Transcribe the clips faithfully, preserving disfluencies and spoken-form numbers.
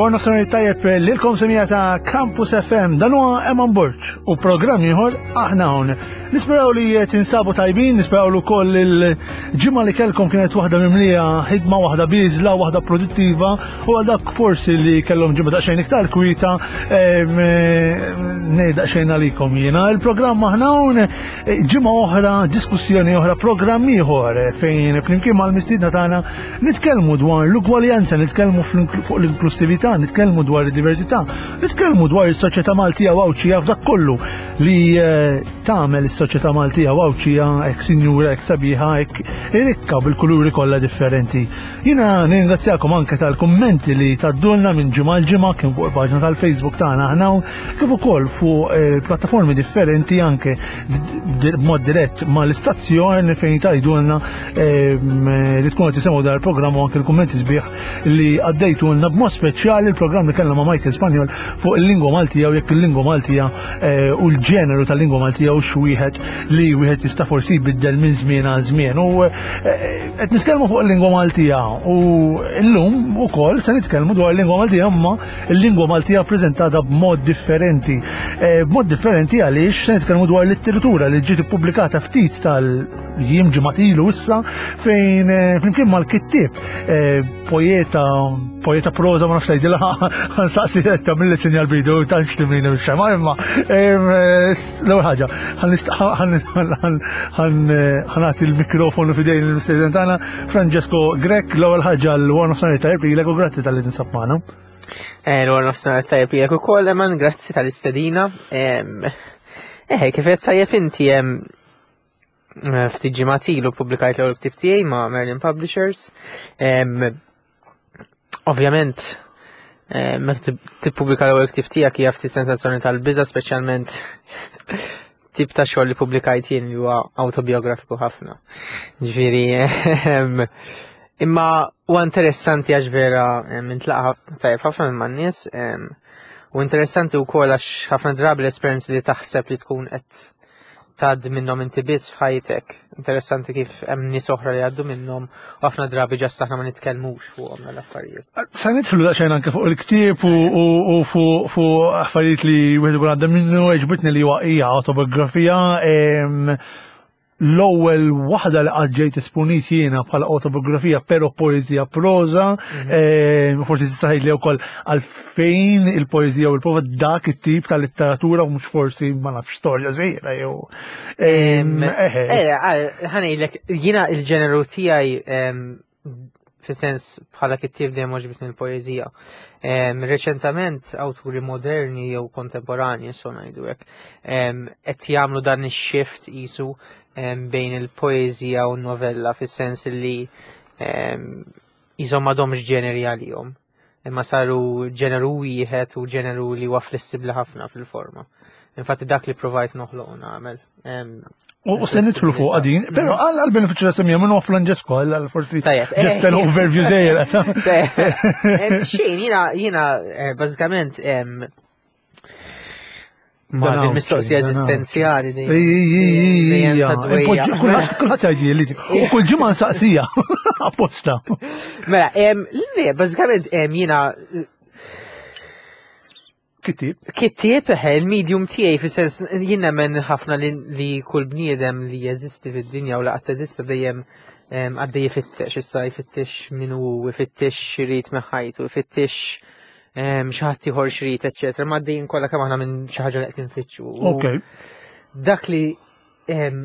L-għor nofsinhar tajjeb lilkom semija ta' Campus F M. Dan huwa Eman Borg u programm ieħor Aħna Hawn. Nisperaw li tinsabu tajbin, nisperaw li wkoll il-ġimgħa li kellkom kienet waħda mimlija ħidma, waħda biżla, waħda produttiva, u għal dak forsi li kellhom ġimgħa daqsxejn iktar kwita, ngħid daqsxejn għalikom jiena. Il-programm Aħna Hawn, ġimgħa oħra, diskussjoni oħra, programm ieħor fejn flimkien mal-mistiedna tagħna nitkellmu dwar l-ugwaljanza, nitkellmu fuq l-inklusività, nitkellmu dwar id-diversità, nitkellmu dwar is-soċjetà Maltija u Għawdxija f'dak kollu li eh, tagħmel is-soċjetà Maltija u Għawdxija hekk sinjura, hekk sabiħa, hekk rikka bil-kuluri kollha differenti. Jiena ningrazzjakom anke tal-kummenti li tgħaddulna minn ġimgħa l ġimgħa, kien fuq il-paġna tal-Facebook tagħna Aħna, kif ukoll fuq eh, plattaformi differenti, anke b'mod dirett mal-istazzjon fejn tgħidulna ehm, li tkun qed tisimgħu dar il-programm u anke l-kummenti sbieħ li għaddejtulna, b'mod speċjali il-programm li kellna ma' Michael Spanjol fuq il-lingwa Maltija u jekk il-lingwa Maltija eh, u l-ġeneru tal-lingwa Maltija u x'wieħed li wieħed jista' forsi jbiddel minn żmien għal żmien. U eh, qed nitkellmu fuq il-lingwa Maltija u llum ukoll se nitkellmu dwar il-lingwa Maltija, imma il-lingwa Maltija preżentata b'mod differenti. Eh, b'mod differenti għaliex se nitkellmu dwar letteratura li ġiet ippubblikata ftit tal-jiem, ġimgħat ilu issa, fejn flimkien mal-kittieb, poeta, poeta proza, ma nafx tgħidilha, ħa nsaqsi ta' mill sinjal bidu tantx timlini bix-xema, imma l-ewwel ħaġa ħa nagħti l-mikrofonu f'idejn il-mistieden tagħna, Francesco Grech. L-ewwel ħaġa, l-għor nofsinhar tajjeb lilek u grazzi talli tinsab magħna. L-għor nofsinhar tajjeb lilek ukoll, Eman, grazzi tal-istedina. Eh, kif qed tajjeb inti, ftit ġimgħat ilu publikajt l-ewwel ktieb tiegħi ma' Merlin Publishers. Ovvjament, meta tippubblika l-ewwel ktieb tiegħek hija ftit sensazzjoni tal-biża', speċjalment tip ta' xogħol li publikajt jien li huwa autobiografiku ħafna. Ġifieri, imma huwa interessanti għax vera intlaqa' tajjeb ħafna minn man-nies u interessanti wkoll għax ħafna drabi l-esperjenzi li taħseb li tkun qed tgħaddi minnhom inti biss f'ħajtek. Interessanti kif hemm nies oħra li għaddu minnhom u ħafna drabi just aħna ma nitkellmux fuqhom l-affarijiet. Sa nidħlu daqsxejn anke fuq il-ktieb u fuq affarijiet li wieħed ikun għadda minnu. Għeġbitni li huwa hija autobiografija, l-ewwel waħda li qatt ġejt esponit jiena bħala autobiografija però poeżija proza, mhm. forsi tista' li wkoll għalfejn il-poeżija u l-proza, dak it-tip ta' letteratura, u mhux forsi, ma nafx, storja żgħira jew. Eh, ħa ngħidlek, jiena il-ġeneru tiegħi fi sens bħala kittieb dejjem għoġbitni l-poeżija. Reċentament awturi moderni jew kontemporani, so ngħidu hekk, qed jagħmlu dan ix-shift isu bejn il-poeżija u n-novella, fis-sens li jisom m'għadhomx ġeneri għalihom. Imma saru ġeneru wieħed u ġeneru li huwa flessibbli ħafna fil-forma. Infatti dak li provajt noħloq u nagħmel. U se nidħlu fuq għadin, pero għal benefiċċju ta' semija, minn Francesco, għal forsi just an overview żgħir. Xejn, jiena jiena eh, bażikament ma din mistoqsija eżistenzjali. Kulħadd jgħid li u kull ġimgħa nsaqsija apposta. Mela, le, bażikament jiena Kittieb. Kittieb, eħe, il-medium tiegħi, fis-sens jien nemmen ħafna li, li kull bniedem li jeżisti fid-dinja u li qatt teżista dejjem em, għaddej jfittex, issa jfittex min hu, jfittex x'irid minn ħajtu, jfittex em, xi ħadd ieħor x'irid, eċċetera. Ma għaddejjin kollha kemm aħna minn xi ħaġa li qed infittxu. U Ok. dak li em,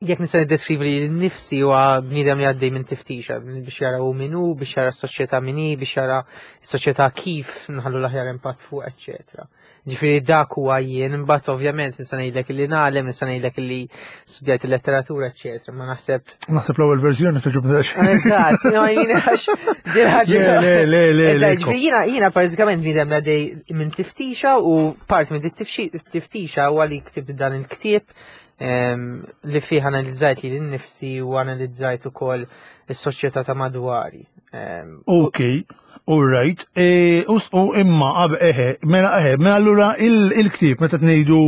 jekk nista' niddeskrivi li nnifsi huwa bniedem li għaddej minn tiftixa biex jara hu min hu, biex jara s-soċjetà min hi, biex jara s-soċjetà kif nħallu l-aħjar impatt fuq, eċċetera. Ġifieri dak huwa jien, imbagħad ovvjament nista' ngħidlek li ngħallem, nista' ngħidlek li studjajt il-letteratura, eċċetera. Ma naħseb Naħseb l-ewwel verżjoni toġob. Eżatt, no, jien għax din ħaġa. Le, le, le, le, Eżatt, le. Ġifieri jiena jiena bażikament bniedem li għaddej minn tiftixa u parti minn dit tiftixa huwa li ktibt dan il-ktieb em, li fih analizzajt li nnifsi u analizzajt ukoll is-soċjetà ta' madwari. Em, Ok, all right. E, u u imma, qab, eħe, mela, eħe, mela allura il- il-ktieb, meta tnejdu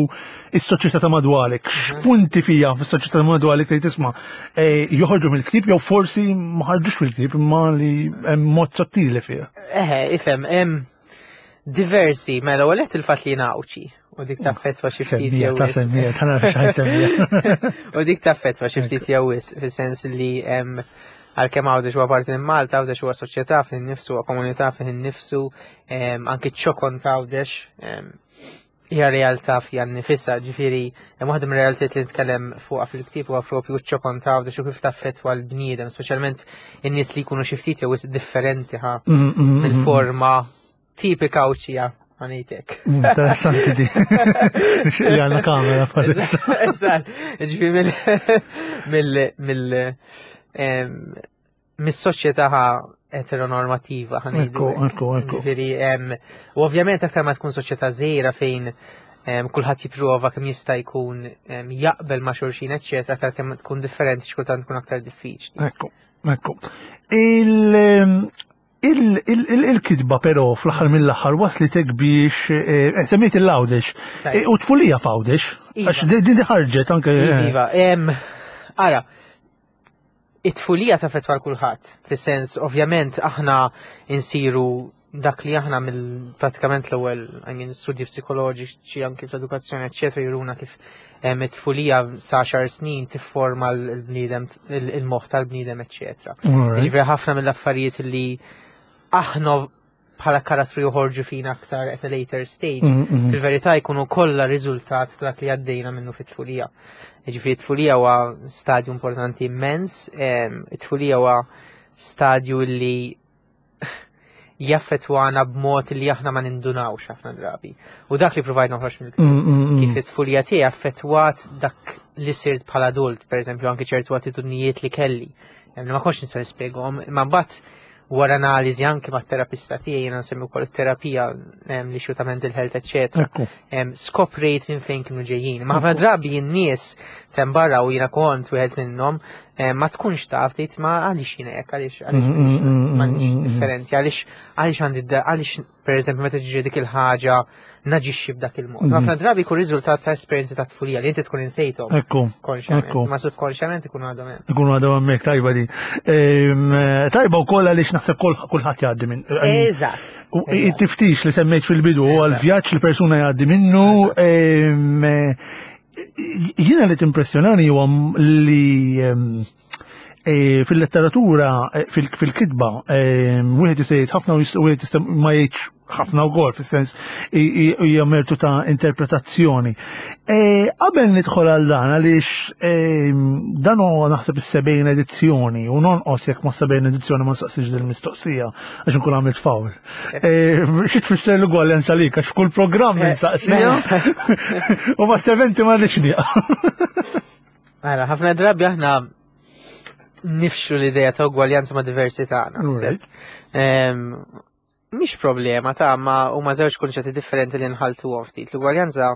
is-soċjetà ta' madwarek, x'punti fija fis-soċjetà ta' madwarek tgħid tisma' e, joħorġu mill-ktieb jew forsi ma ħarġux fil-ktieb imma li hemm mod sottili fiha? Eħe, ifhem, em, Diversi, mela għalet il-fat li nawċi. U dik taffettwa xi ftit Semmija, jew ta' wisq. semmija, ta' nafx x'ħa nsemmija. U dik taffettwa xi ftit jew wisq, fis-sens li em, għalkemm Għawdex huwa parti minn Malta, Għawdex huwa soċjetà fih innifsu, huwa komunità fih innifsu, em, anki ċ-ċokon ta' Għawdex em, hija realtà fiha nnifisha, ġifieri hemm waħda mir-realtajiet li nitkellem fuqha fil-ktieb huwa propju ċ-ċokon ta' Għawdex u kif taffettwa l-bniedem, speċjalment in-nies li jkunu xi ftit jew wisq differenti ħa Mm, mm, mm, mill-forma tipika Għawdxija, ħa ngħidlek. mm, Interessanti di. Nixtieq li għandna kamera bħalissa. Eżatt, ġifieri mill mill mill em, mis-soċjetà eteronormativa ħa ngħidu Ekku, hekk. ekku, ekku. Ġifieri, em, u ovvjament aktar ma tkun soċjetà żgħira fejn em, kulħadd jipprova kemm jista' jkun em, jaqbel ma' xulxin, eċċetera, aktar kemm tkun differenti xkultant tkun aktar diffiċli. Ekku, ekku. Il- il- il- il- Il-kitba però fl-aħħar mill-aħħar waslitek biex eh, semmejt il-Għawdex Tajjeb. Eh, u tfulija f'Għawdex. Iva. Għax din din ħarġet anke. eh, Iva, em, ara, it-tfulija taffettwa 'l kulħadd, fis-sens ovvjament aħna insiru dak li aħna mill pratikament l-ewwel, I mean, studji psikoloġiċi anki fl-edukazzjoni eċċetera juruna kif em, it-tfulija sa għaxar snin tifforma l-bniedem, il-moħħ tal-bniedem, eċċetera. Alright. Ġifieri ħafna mill-affarijiet li aħna bħala karattru joħorġu fina aktar at a later stage, Mm, mm. fil-verità jkunu kollha riżultat ta' dak li għaddejna minnu fit-tfulija. Ġifieri it-tfulija huwa stadju importanti immens, em, it-tfulija huwa stadju li jaffettwana b'mod li aħna ma nindunawx ħafna drabi. U dak li provajt noħroġ mill-ktieb. Mm, mm, mm. Kif it-tfulija tiegħi affettwat dak li sirt bħala adult, per eżempju, anki ċertu attitudnijiet li kelli. Em, li ma kontx nista' nispjegahom, imma mbagħad wara analiżi anki mat-terapista tiegħi, jiena nsemmi wkoll it-terapija em, li ta' mental health, eċċetera. Ekku. Em, Skoprejt minn fejn kienu ġejjin. Ma ħafna drabi n-nies tem barra u jiena kont wieħed minnhom, em, ma tkunx taf tgħid ma għaliex jiena hekk, għaliex għaliex Mm, mm, mm, m'għandix mm, mm. differenti, għaliex għaliex għandi da- għaliex per eżempju meta tiġri dik il-ħaġa naġixxi b'dak il-mod. Mhm. Ħafna drabi jkun riżultat ta' esperjenzi ta' tfulija li inti tkun insejthom Ekku. konxjament, Ekku. ma subkonxjament ikun għadhom hemm. Ikunu għadhom hemmhekk, tajba di. Em, Tajba wkoll għaliex naħseb kol- kulħadd jgħaddi minn. Eżatt. U it-tiftix li semmejt fil-bidu huwa l-vjaġġ li persuna jgħaddi minnu. em, eh, Jiena li timpressjonani huwa li em, eh, fil-letteratura, eh, fil- fil-kitba, em, wieħed jista' jgħid ħafna u jista' wieħed jista' ma jgħidx ħafna wkoll, fis-sens i- i- hija mertu ta' interpretazzjoni. Eh, Qabel nidħol għal dan għaliex em, dan huwa naħseb is-sebgħin edizzjoni u nonqos jekk ma sebgħin edizzjoni ma nsaqsix din il-mistoqsija għax nkun għamilt fawl. Eh, Xi tfisser l-ugwaljanza lik għax f'kull programm Eh, insaqsija u ma seventi ma rridx nieqaf. Mela, ħafna drabi aħna nifxu l-idea ta' ugwaljanza ma' diversità. naħseb. Em, Mhix problema ta' ma huma żewġ kunċetti differenti li nħaltuhom ftit. L-ugwaljanza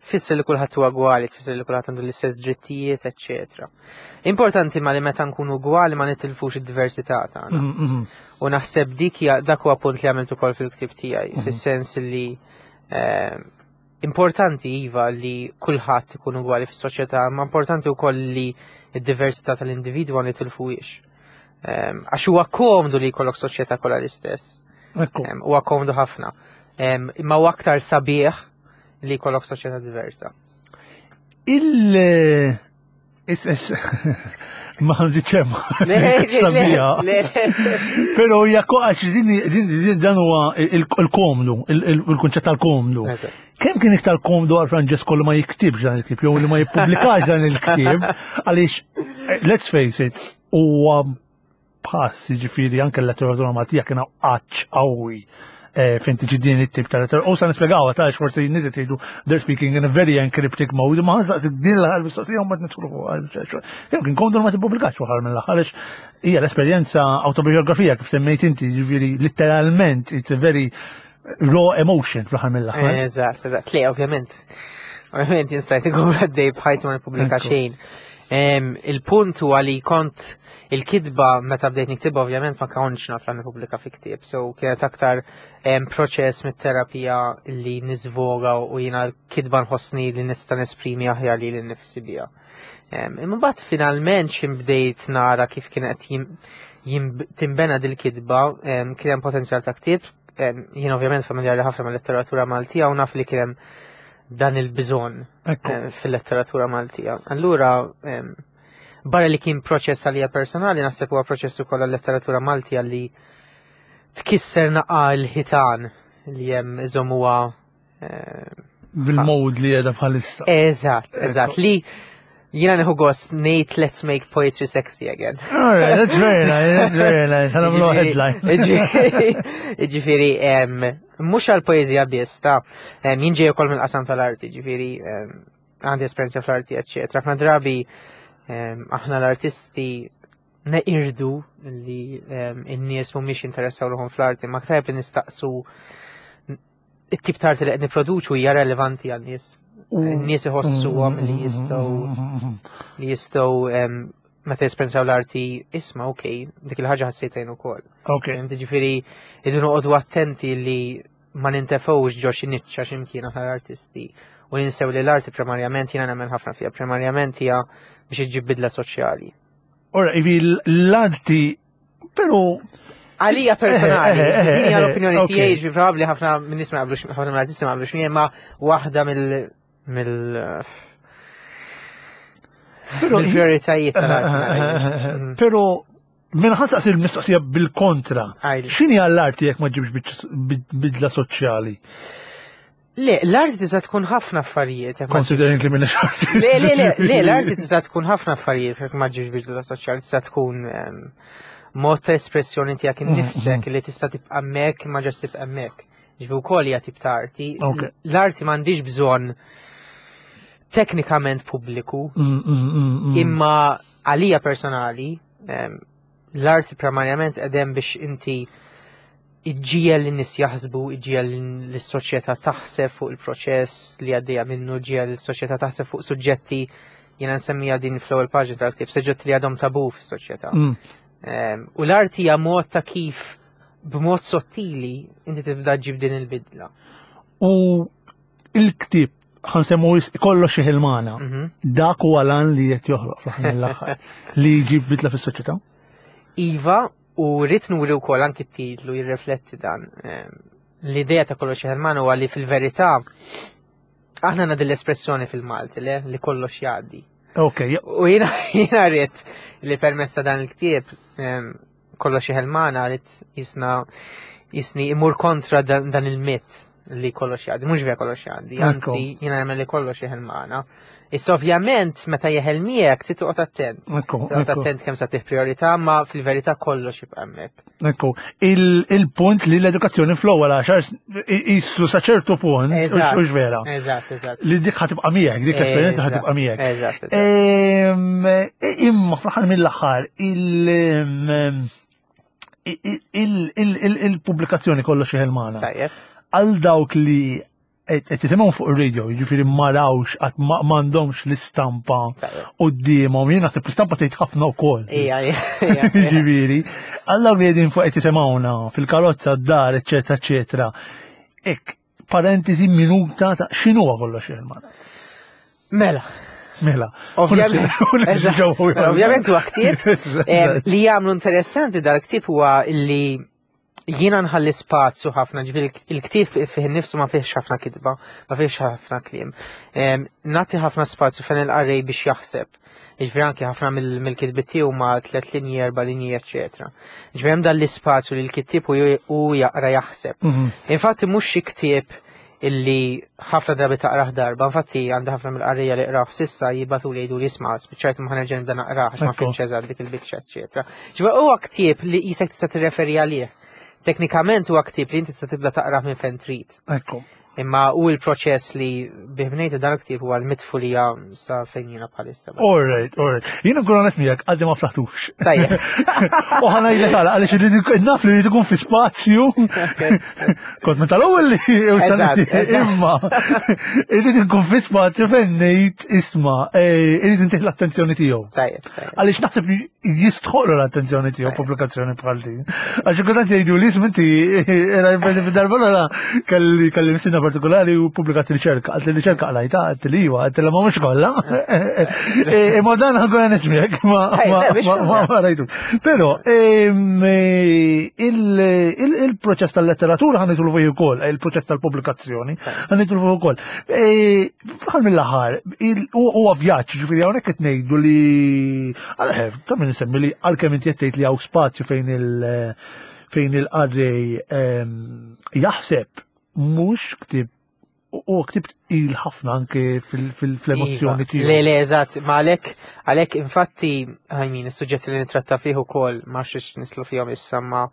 tfisser li kulħadd huwa ugwali, tfisser li kulħadd għandu l-istess drittijiet, eċċetera. Importanti ma li meta nkunu ugwali ma nitilfux id-diversità tagħna. Mm, mm, U naħseb dik hija dak huwa punt li għamilt ukoll fil-ktieb tiegħi, fis-sens li eh, importanti iva li kulħadd ikun ugwali fis-soċjetà, ma importanti wkoll li d-diversità tal-individwu ma nitilfuhiex. Em, Għax huwa komdu li jkollok soċjetà kollha l-istess. Ekku. Em, Huwa komdu ħafna. Em, Imma huwa aktar sabiħ li jkollok soċjetà diversa. Il- Is, is, ma nżidx hemm. Le, le, Sabiħa. le, Però hija għax din din- din- dan huwa il- il-komdu, il- il- il-kunċett tal-komdu. Eżatt. Kemm kien iktar komdu għal Francesco li ma jiktibx dan il-ktieb jew li ma jippubblikax dan il-ktieb għaliex eh, let's face it, huwa pass, jiġifieri anke l-letteratura Maltija kien għatx qawwi eh, fejn tiġi din it-tip ta' letteratura. U sa nispjegaw ta' forsi n-nies jgħidu they're speaking in a very encryptic mode, ma nsaqsi din l-aħħar mistoqsija u ma nidħlu fuqha. Jew kien komdu li ma tippubblikax waħar mill-aħħar għaliex hija l-esperjenza autobiografija kif semmejt inti, jiġifieri letteralment it's a very raw emotion fl-aħħar mill-aħħar. Eżatt, eżatt. Le, ovvjament. Ovvjament jien stajt ikun għaddej b'ħajti ma nippubblika Ekku. xejn. Em, Il-punt huwa li kont il-kitba meta bdejt niktibha, ovvjament ma kontx naf li nippubblika fi ktieb, so kienet aktar em, proċess mit-terapija li niżvoga u jiena l-kitba nħossni li nista' nesprimi aħjar lili nnifsi biha. Em, Imma mbagħad finalment x'ħin bdejt nara kif kienet jim, jim, timbena dil-kitba, em, kien hemm potenzjal ta' ktieb, em, jien ovvjament familjari ħafna mal-letteratura Maltija u naf li kien hemm dan il-bżonn Ekku. eh, fil-letteratura Maltija. Allura, em, barra li kien proċess għalija personali, naħseb huwa proċess ukoll għal-letteratura Maltija li tkisser naqa l-ħitan li hemm iżommuha eh, Bil-mod li qiegħda bħalissa. Eżatt, eżatt, li jiena nieħu gost ngħid "Let's make poetry sexy again." Alright, that's very nice, that's very nice. Ħa nagħmlu headline. Ġifieri, em, mhux għal-poezija biss, ta' em, jien ġej ukoll mill-qasam tal-arti, ġifieri, em, għandi esperjenza fl-arti, eccetera. Ħafna drabi, em, aħna l-artisti neqirdu li em, in-nies mhumiex interessaw ruħhom fl-arti, ma tajjeb li nistaqsu it-tip ta' arti li qed nipproduċu hija relevanti għan-nies. In-nies iħossuhom li jistgħu li jistgħu em, meta jesperjenzaw l-arti, isma', ok, dik il-ħaġa ħassejtha jien ukoll. Ok. Fhimt? Ġifieri, irridu noqogħdu attenti li ma nintefgħux ġo xi niċċa x'imkien aħna l-artisti u ninsew li l-arti primarjament, jiena nemmen ħafna fiha, primarjament hija biex iġġib bidla soċjali. Ora, ivi l-arti, pero Għalija personali, Eh, eh, eh, din hija eh, l-opinjoni ok. tiegħi, ġifieri probabbli ħafna minn nies ma jaqblux, ħafna mill-artisti ma jaqblux miegħi, ma waħda mill mill Pero- mill-prioritajiet tal-arti nara. Mm. Pero minn ħa nsaqsi l-mistoqsija bil-kontra. Għidli. X'inhi għall-arti jekk ma ġibx bidla soċjali? Le, l-arti tista' tkun ħafna affarijiet jekk ma Considering li minn arti. Le, le, le, le, l-arti tista' tkun ħafna affarijiet jekk ma ġibx bidla soċjali, tista' tkun em, mod ta' espressjoni tiegħek innifsek li tista' tibqa' hemmhekk ma ġast tibqa' hemmhekk. Ġifieri wkoll hija tip ta' arti. Ok. L-arti m'għandix bżonn teknikament pubbliku, Mm, mm, mm, mm. imma għalija personali, em, l-arti primarjament edem biex inti iġġiegħel lin-nies jaħsbu, iġġiegħel l-soċjetà taħseb fuq il-proċess li għaddejja minnu, iġġiegħel l-soċjetà taħseb fuq suġġetti, jiena nsemmija din fl-ewwel paġna tal-ktieb, suġġetti li għadhom tabu fis-soċjetà. Mm. Em, U l-arti hija mod ta' kif b'mod sottili inti tibda ġib din il-bidla. U il-ktieb ħa nsemmu Kollox Jeħel Magħna. Mhm. Dak huwa l-għan li qed joħloq fl-aħħar mill-aħħar li jġib bidla fis-soċjetà. Iva, u rrid nuri wkoll anki t-titlu jirrifletti dan. Em, L-idea ta' Kollox Jeħel Magħna huwa li fil-verità aħna għandna din l-espressjoni fil-Malti le, li kollox jgħaddi. Ok, ja- U jiena jiena rrid li permezz ta' dan il-ktieb em, Kollox Jeħel Magħna rrid jisna jisni imur kontra dan, dan il-mit li kollox jgħaddi, mhux vera kollox jgħaddi, Ekku. anzi jiena nemmen li kollox jeħel magħna. Issa ovvjament meta jeħel miegħek trid toqgħod attent. Ekku, Toqgħod ekku. attent kemm sa tih priorità, ma fil-verità kollox jibqa' hemmhekk. Ekku, il- il-punt li l-edukazzjoni fl-ewwel għaxar jissu sa ċertu punt, Eżatt. hux vera. Eżatt, eżatt. Li dik ħa tibqa' miegħek, dik l-esperjenza Eżatt, ħa tibqa' miegħek. Eżatt, eżatt. Ehm, Imma fl-aħħar mill-aħħar il- il- il- il- il-pubblikazzjoni Kollox Jeħel Magħna. Tajjeb. Għal dawk li qed jisimgħu fuq ir-radio, jiġifieri ma rawx qatt ma m'għandhomx l-istampa Tajjeb. quddiemhom, jien naħseb l-istampa tgħid ħafna wkoll. Ija, ija, ija. Ġifieri, għal dawk li qegħdin fuq qed jisimgħuna fil-karozza d-dar, eċetera, eċetera. Ek, parentesi minuta ta' x'inhuwa Kollox Jeħel Magħna. Mela. Mela. Ovvjament, eżatt. Ovvjament huwa ktieb em, li jagħmlu interessanti dal-ktieb huwa li jiena nħalli spazju ħafna, ġifieri il-ktieb fih nifsu ma fihx ħafna kitba, ma fihx ħafna kliem. Em, Nagħti ħafna spazju fejn il-qarrej biex jaħseb. Ġifieri anki ħafna mill- mill-kitbiet tiegħu ma tliet linji, erba' linji, eċetera. Ġifieri hemm dan l-ispazju li l-kittieb u u jaqra jaħseb. Mhm. Infatti mhux xi ktieb illi ħafna drabi taqrah darba, infatti għandi ħafna mill-qarrija li qrah s'issa jibagħtu li jgħidu li isma' spiċċajt ma ħa nerġa' nibda naqrah għax ma Ekku. fhimtx eżatt dik il-biċċa, eċetera. Ġifieri huwa ktieb li qisek tista' tirreferi għalih. Teknikament huwa ktieb li inti tista' tibda taqrah minn fejn trid. Ekku. Imma u il-proċess li bih bnejtu dan il-ktieb huwa l-mitfulija sa fejn jiena bħalissa. All right, all right. Jiena nkun onest miegħek, għadni ma ftaħtux. Tajjeb. U ħa ngħidlek għala, għaliex irrid naf li rrid ikun fi spazju. Kont minn tal-ewwel li Eżatt, eżatt. imma irrid ikun fi spazju fejn ngħid isma' eh, irrid intih l-attenzjoni tiegħu. Tajjeb, tajjeb. Għaliex naħseb li jistħoqlu l-attenzjoni tiegħu Tajjeb. pubblikazzjoni bħal din. Għax kultant jgħidu li isma' inti era darba l kelli kelli mistiedna partikolari u pubblikat riċerka. Għalt li riċerka qlajta, għalt li iva, għalt li ma mhux kollha. Imma dan ħa nkun nismiek, ma Tajjeb, ma- le, biex ma ma- ma rajtu. Però ehm, eh, il- il- il-proċess tal-letteratura ħa nidħlu fih ukoll, il-proċess tal-pubblikazzjoni ħa nidħlu fih ukoll. Eh, Fl-aħħar mill-aħħar, il- hu- huwa vjaġġ, ġifieri hawnhekk qed ngħidu li għal ta' min insemmi li għalkemm inti qed tgħid li hawn spazju fejn il- fejn il-qarrej ehm, jaħseb mhux ktieb u ktieb il ħafna anke fil- fil- fl-emozzjoni Iva. tiegħu. Le, le, eżatt, ma għalek, għalek, infatti, I mean, is-suġġetti li nitratta fih ukoll, ma xiex nidħlu fihom issa ma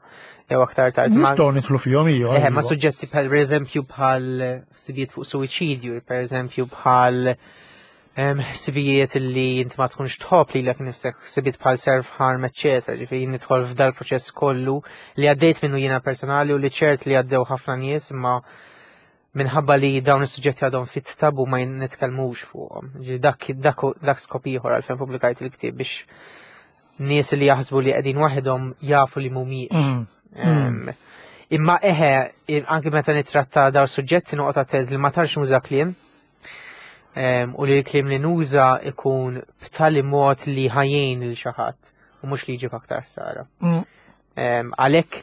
jew aktar tard. Ma, Nistgħu nidħlu fihom ija. eh, ma iva. suġġetti bħal, per eżempju, bħal ħsibijiet fuq suwiċidju, per eżempju, bħal em, ħsibijiet li inti ma tkunx tħobb lilek nifsek, ħsibijiet bħal self-harm, eccetera. Ġifieri nidħol f'dal proċess kollu li għaddejt minnu jiena personali u li ċert li għaddew ħafna nies imma minħabba li dawn is-suġġetti għadhom fit tabu ma nitkellmux fuqhom. Ġifieri dak dak dak skop ieħor għalfejn pubblikajt il-ktieb biex nies li jaħsbu li qegħdin waħedhom jafu li mhumiex. Mm. Em, Imma eħe, i- anki meta nitratta daw suġġetti noqgħod attent li ma tantx nuża kliem. Em, U li l-kliem li nuża ikun b'tali mod li ħa jgħin lil xi ħadd u mhux li jġib aktar ħsara. Mm. Em, Għalhekk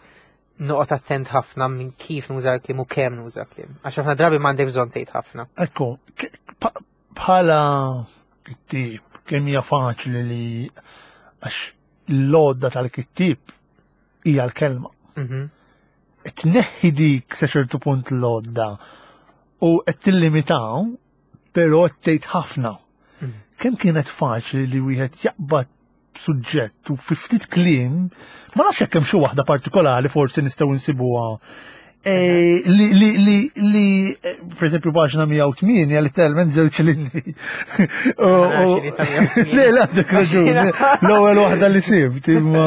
noqgħod attent ħafna minn kif nuża l-kliem u kemm nuża kliem. Għax ħafna drabi m'għandek bżonn tgħid ħafna. Ekku, k- pa- bħala kittieb, kemm hija faċli li għax l-għodda tal-kittieb hija l-kelma. Mhm. Tneħħi dik sa ċertu punt l-għodda u qed tillimitaw, però qed tgħid ħafna. Mhm. Kemm kienet faċli li wieħed jaqbad suġġett u fi ftit kliem, ma nafx jekk hemm xi waħda partikolari forsi nistgħu nsibuha. Eh, li, li, li, li, eh, per eżempju, paġna mija u tmienja, literalment żewġ linji. U- Ma nafx u- li ta' mija u tmienja. Le, le, għandek raġun. L-ewwel waħda li sibt, imma.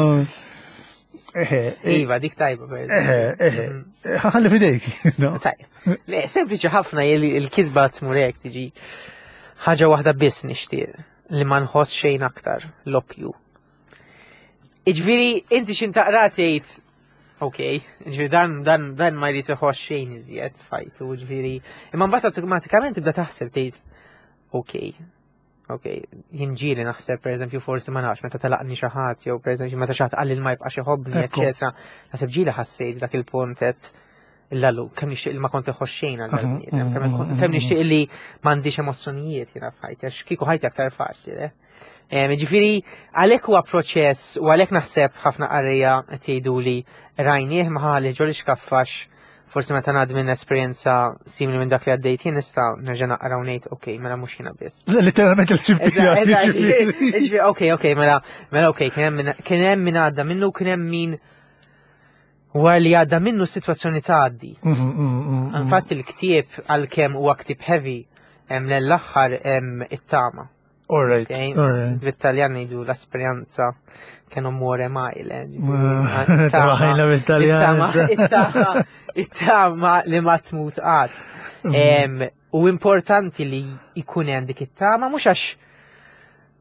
Eħe, eh, Iva, dik tajba per eżempju. eħe, eħe. Ħalli fidejk. no? Tajb. Le, sempliċi ħafna il- il-kitba tmur hekk tiġi ħaġa waħda biss nixtieq li ma nħoss xejn aktar l-oppju. Iġifieri inti x'ħin taqra tgħid ok, ġifieri dan dan dan ma jrid iħoss xejn iżjed f'ħajtu, ġifieri imma mbagħad awtomatikament tibda taħseb tgħid ok. Ok, jien ġieli naħseb per eżempju forsi ma nafx meta telaqni xi ħadd jew per eżempju meta xi ħadd qalli li ma jibqax iħobbni, Ekku. eċetera. Naħseb ġieli ħassejt dak il-punt qed Illallu, kemm nixtieq li ma kont iħoss xejn għal dal-bniedem, Mhm, kemm mhm, kemm nixtieq li m'għandix emozzjonijiet jiena f'ħajti, għax kieku ħajti aktar faċli, le? Em, Ġifieri, għalhekk huwa proċess u għalhekk naħseb ħafna qarrejja qed jgħidu li rajnieh ma ħalli ġol xkaffax forsi meta ngħaddi minn esperjenza simili minn dak li għaddejt jien nista' nerġa' naqra u ngħid ok, mela mhux jiena biss. Literalment il-ċib Eżatt, eżatt, ġifieri, ok, ok, mela, mela ok, kien hemm min- kien hemm min għadda minnu, kien hemm min wara li għadda minnu s-sitwazzjoni tgħaddi. Mm, Infatti il-ktieb għalkemm huwa ktieb heavy hemm l-aħħar hemm it-tama. All right, Ok? all right. Bit-Taljan ngħidu la speranza che non muore mai. le, Mm, Traħajna bit-Taljan. It-tama, it-tama li ma tmut qatt. Mm. Em, U importanti li jkun hemm dik it-tama mhux għax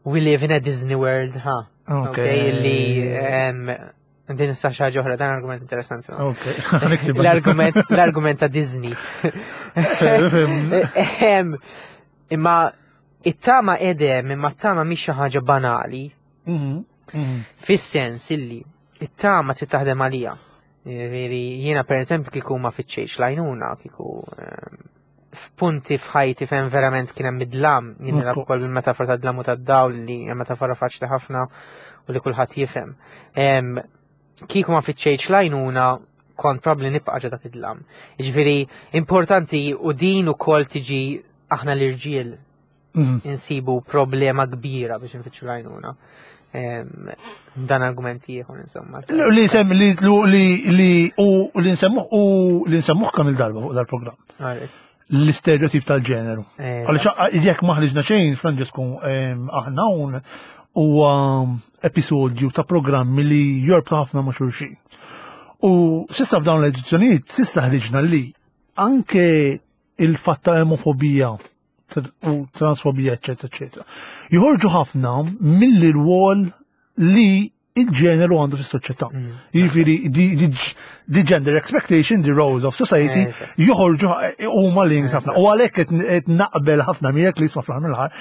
we live in a Disney world, ha. Ok. Ok, li em, din issa xi ħaġa oħra, dan argument interessanti. Ok, niktib. L-argument l-argument ta' Disney. Em, Imma it-tama edem, imma t-tama mhix xi ħaġa banali, Mhm, mhm. fis-sens illi it-tama trid taħdem għalija. Ġifieri jiena pereżempju kieku ma fittxejx l-għajnuna, kieku em, f'punti f'ħajti fejn verament kien hemm id-dlam, jien nilgħab Ekku. ukoll bil-metafora tad-dlam u tad-dawl li hija metafora faċli ħafna u li kulħadd jifhem. Em, Kieku ma fittxejx l-għajnuna kont probabbli nibqa' ġo dak id-dlam. Jiġifieri importanti u din ukoll tiġi aħna l-irġiel Mhm. insibu problema kbira biex nfittxu l-għajnuna. Em, Dan argument ieħor insomma. Li sem li li li u li nsemmuh u li nsemmuh kemm il-darba fuq dal-programm. Alright. L-istereotip tal-ġeneru. Għaliex jekk ma ħriġna xejn, Francesco, aħna hawn huwa episodju ta' programmi li jorbtu ħafna ma' xulxin. U s'issa f'dawn l-edizzjonijiet, s'issa ħriġna li anke il-fatt ta' emofobija u transfobija, eccetera, eccetera, joħorġu ħafna mill-rwol li il-ġeneru għandu fis-soċjetà. Mm. Jiġifieri the gender expectation, the roles of society, joħorġu huma link ħafna. U għalhekk qed naqbel ħafna miegħek li jisma' fl-aħħar mill-aħħar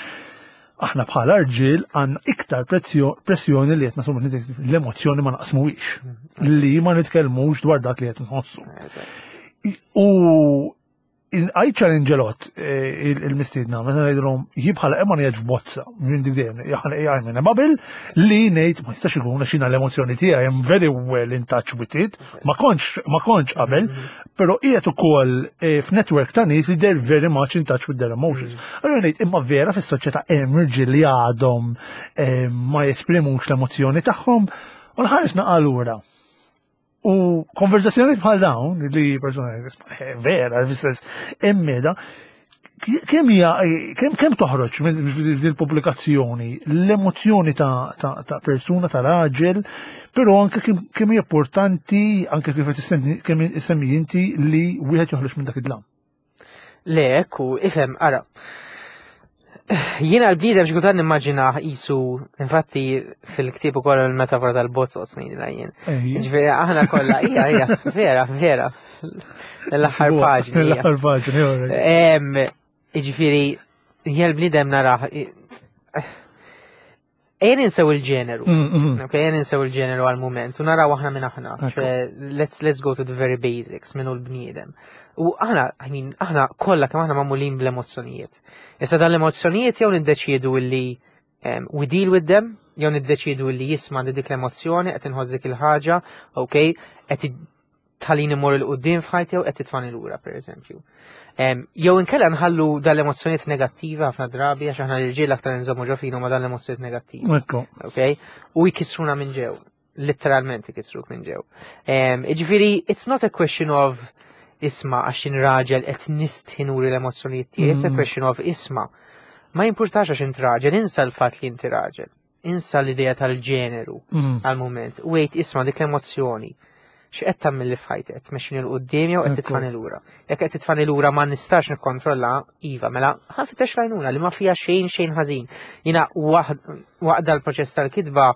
aħna bħala rġiel għandna iktar pressjoni li qed nasumu l-emozzjoni ma naqsmuhiex. Mm. Li ma nitkellmux dwar dak li qed nħossu. U I challenge a lot eh, il-mistiedna, meta ngħidilhom jien bħala Emma ngħid f'bozza, minn dik dejjem, jgħid minn bubble li ngħid ma jistax ikun għax jiena l-emozzjoni tiegħi I'm very well in touch with it, ma kontx ma kontx qabel, però qiegħed ukoll eh, f'network ta' nies li they're very much in touch with their emotions. Allura ngħid imma vera fis-soċjetà hemm irġiel li għadhom eh, ma jesprimux l-emozzjoni tagħhom u nħares naqalura. U konverzazzjoni bħal dawn li persona eh, vera, fis-sens emmeda, kemm hija kemm kemm toħroġ minn din il-pubblikazzjoni l-emozzjoni ta' ta' ta' persuna ta' raġel, però anke kemm kemm hija importanti anke kif qed issemmi kemm issemmi inti li wieħed joħroġ minn dak id-dlam. Le, ekku, ifhem, ara. Jiena l-bniedem xi kultant nimmaġina qisu, infatti fil-ktieb ukoll il-metafora tal-bozzot ngħidilha jien. Ġifieri aħna kollha, hija, hija, vera, vera. L-aħħar paġni. hija. L-aħħar paġni, alright. Em, Ġifieri, jien l-bniedem narah. Ejja ninsew il-ġeneru. Mm, mm. Ok, ejja ninsew il-ġeneru għal-moment, u naraw aħna minn aħna. Ekku. ċe, Let's, let's go to the very basics, min hu l-bniedem. U aħna, I mean, aħna kollha kemm aħna magħmulin bl-emozzjonijiet. Issa dan l-emozzjonijiet jew niddeċiedu illi um, we deal with them, jew niddeċiedu illi jisma' għandi dik l-emozzjoni, qed inħoss dik il-ħaġa, ok, qed tħallini mmur 'il quddiem f'ħajti jew qed titfani lura, per eżempju. Em, Jew inkella nħallu dal-emozzjonijiet negattivi ħafna drabi għax aħna l-irġiel aktar nżommu ġo fina ma dan l-emozzjonijiet negattivi. Ekku. Ok? U jkissruna minn ġew. Literalment jkissruk minn ġew. Em, Ġifieri, it's not a question of isma' għax jien raġel qed nistħi nuri l-emozzjonijiet tiegħi, it's a Mm. question of isma'. Ma jimpurtax għax int raġel, insa l-fatt li inti raġel. Insa l-idea tal-ġeneru Mm. għal-moment. Wait, isma' dik l-emozzjoni. X'qed tagħmel li f'ħajti? Qed tmexxini 'l quddiem jew qed Ekku. titfani lura? Jekk qed titfani lura ma nistax nikkontrolla, iva, mela ħa nfittex l-għajnuna li ma fiha xejn xejn ħażin. Jiena waqt dal-proċess tal-kitba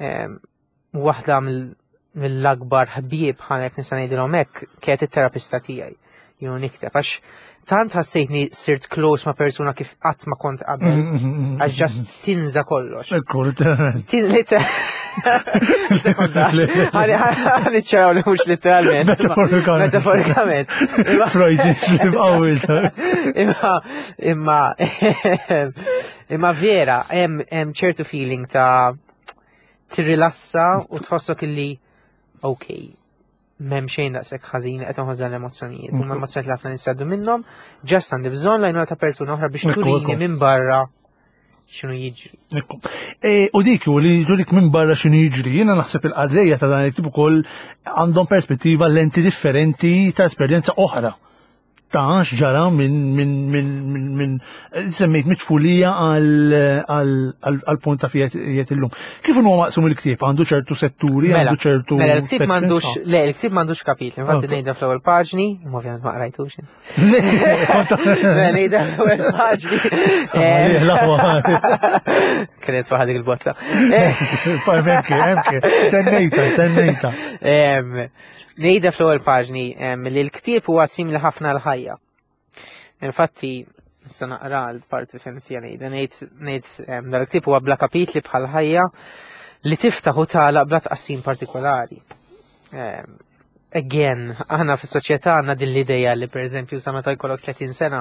em, waħda mill- mill-akbar ħbieb ħa jekk nista' ngħidilhom hekk kienet it-terapista tiegħi. Jien nikteb għax tant ħassejtni sirt close ma' persuna kif qatt ma kont qabel, Mm, mm, mm, għax just tinża kollox. Ekku, literalment. Tin liter. Ħa niċċaraw li mhux literalment. Metaforikament. Metaforikament. Imma- Freudian slip qawwi. Imma imma imma vera, hemm hemm ċertu feeling ta' tirrilassa u tħossok illi ok, m'hemm xejn daqshekk ħażin qed inħoss dan l-emozzjonijiet. Huma emozzjonijiet li ħafna nies jgħaddu minnhom, just għandi bżonn l-għajnuna ta' persuna oħra biex Ekku, turini ekku. minn barra x'inhu jiġri. Ekku. E, U dik u li turik minn barra x'inhu jiġri, jiena naħseb il-qarrejja ta' dan it-tip ukoll għandhom perspettiva lenti differenti ta' esperjenza oħra. Ta' x'ġara minn minn minn minn minn semmejt mit-tfulija għal għal għal punt ta' fijet illum. Kif huwa maqsum il-ktieb? Għandu ċertu setturi, Mela, għandu ċertu. Mela, l-ktieb sections? m'għandux, le, l-ktieb m'għandux kapitli, infatti Ok. ngħidha fl-ewwel paġni, imma ovvjament ma qrajtux. Le, Mela, ngħidha fl-ewwel paġni. Ah, l-aqwa. Kienet waħda dik il-botta. Emke, emke, tennejta, tennejta. Em, Ngħidha fl-ewwel paġni em, li l-ktieb huwa simili ħafna l-ħajja. Infatti, issa naqra l-parti fejn fija ngħidha, ngħid ngħid em, dal-ktieb huwa bla kapitli bħal ħajja li tiftaħ u tagħlaq bla tqassim partikolari. Em, Again, aħna fis-soċjetà għandna din l-idea li pereżempju sa meta jkollok tletin sena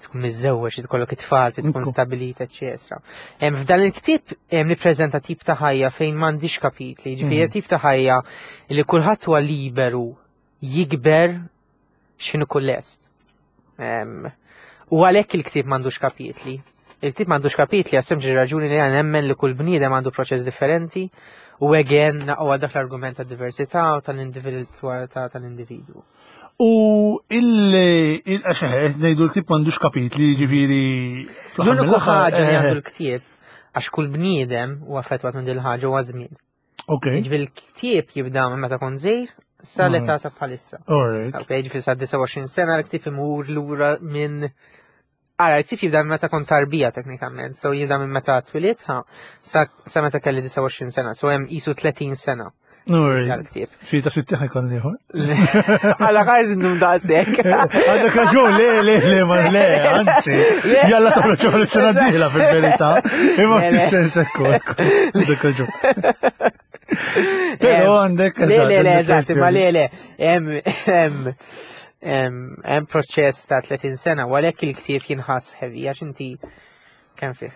tkun miżżewweġ, tkollok it-tfal, tkun Ekku. stabilita, eċetera. Em, F'dan il-ktieb em, nippreżenta tip ta' ħajja fejn m'għandix kapitli, ġifieri Mhm. tip ta' ħajja li kulħadd huwa liberu jikber x'inhu kull lest. Em, U għalhekk il-ktieb m'għandux kapitli. Il-ktieb m'għandux kapitli għas sempliċi raġuni li għan nemmen li kull bniedem għandu proċess differenti u again naqgħu dak l-argument ta' diversità u tal-individwalità tal-individwu. U il-għaxeħet, ngħidu l-ktieb m'għandux kapitli, ġifieri. Fl-aħħar L-uniku mill-aħħar, ħaġa li eh, għandu l-ktieb, għax kull bniedem u affettwat minn din il-ħaġa huwa żmien. Ok, Ġifieri l-ktieb jibda minn meta kont żgħir sa l-età ta' bħalissa. Alright. Ok, ġifieri sa disgħa u għoxrin sena l-ktieb imur lura minn. Ara, l-ktieb jibda minn meta kont tarbija teknikament, so jibda minn meta twilidt ha, sa, sa meta kelli disgħa u għoxrin sena, so hemm qisu tletin sena Alright. dal-ktieb. Xi ta' sitti ħa jkun ieħor. Għala ħares indum daqshekk. Għandek raġun, le, le, le, ma le, anzi. Jalla toħroġ xogħol is-sena d-dieħla fil-verità. Imma Le, le. fis-sens ekku, ekku. Għandek raġun. Però għandek. Le, le, le, eżatt, eżatt, ma le, le, hemm hemm hemm hemm proċess ta' tletin sena, u għalhekk il-ktieb jinħass heavy, għax inti kemm fih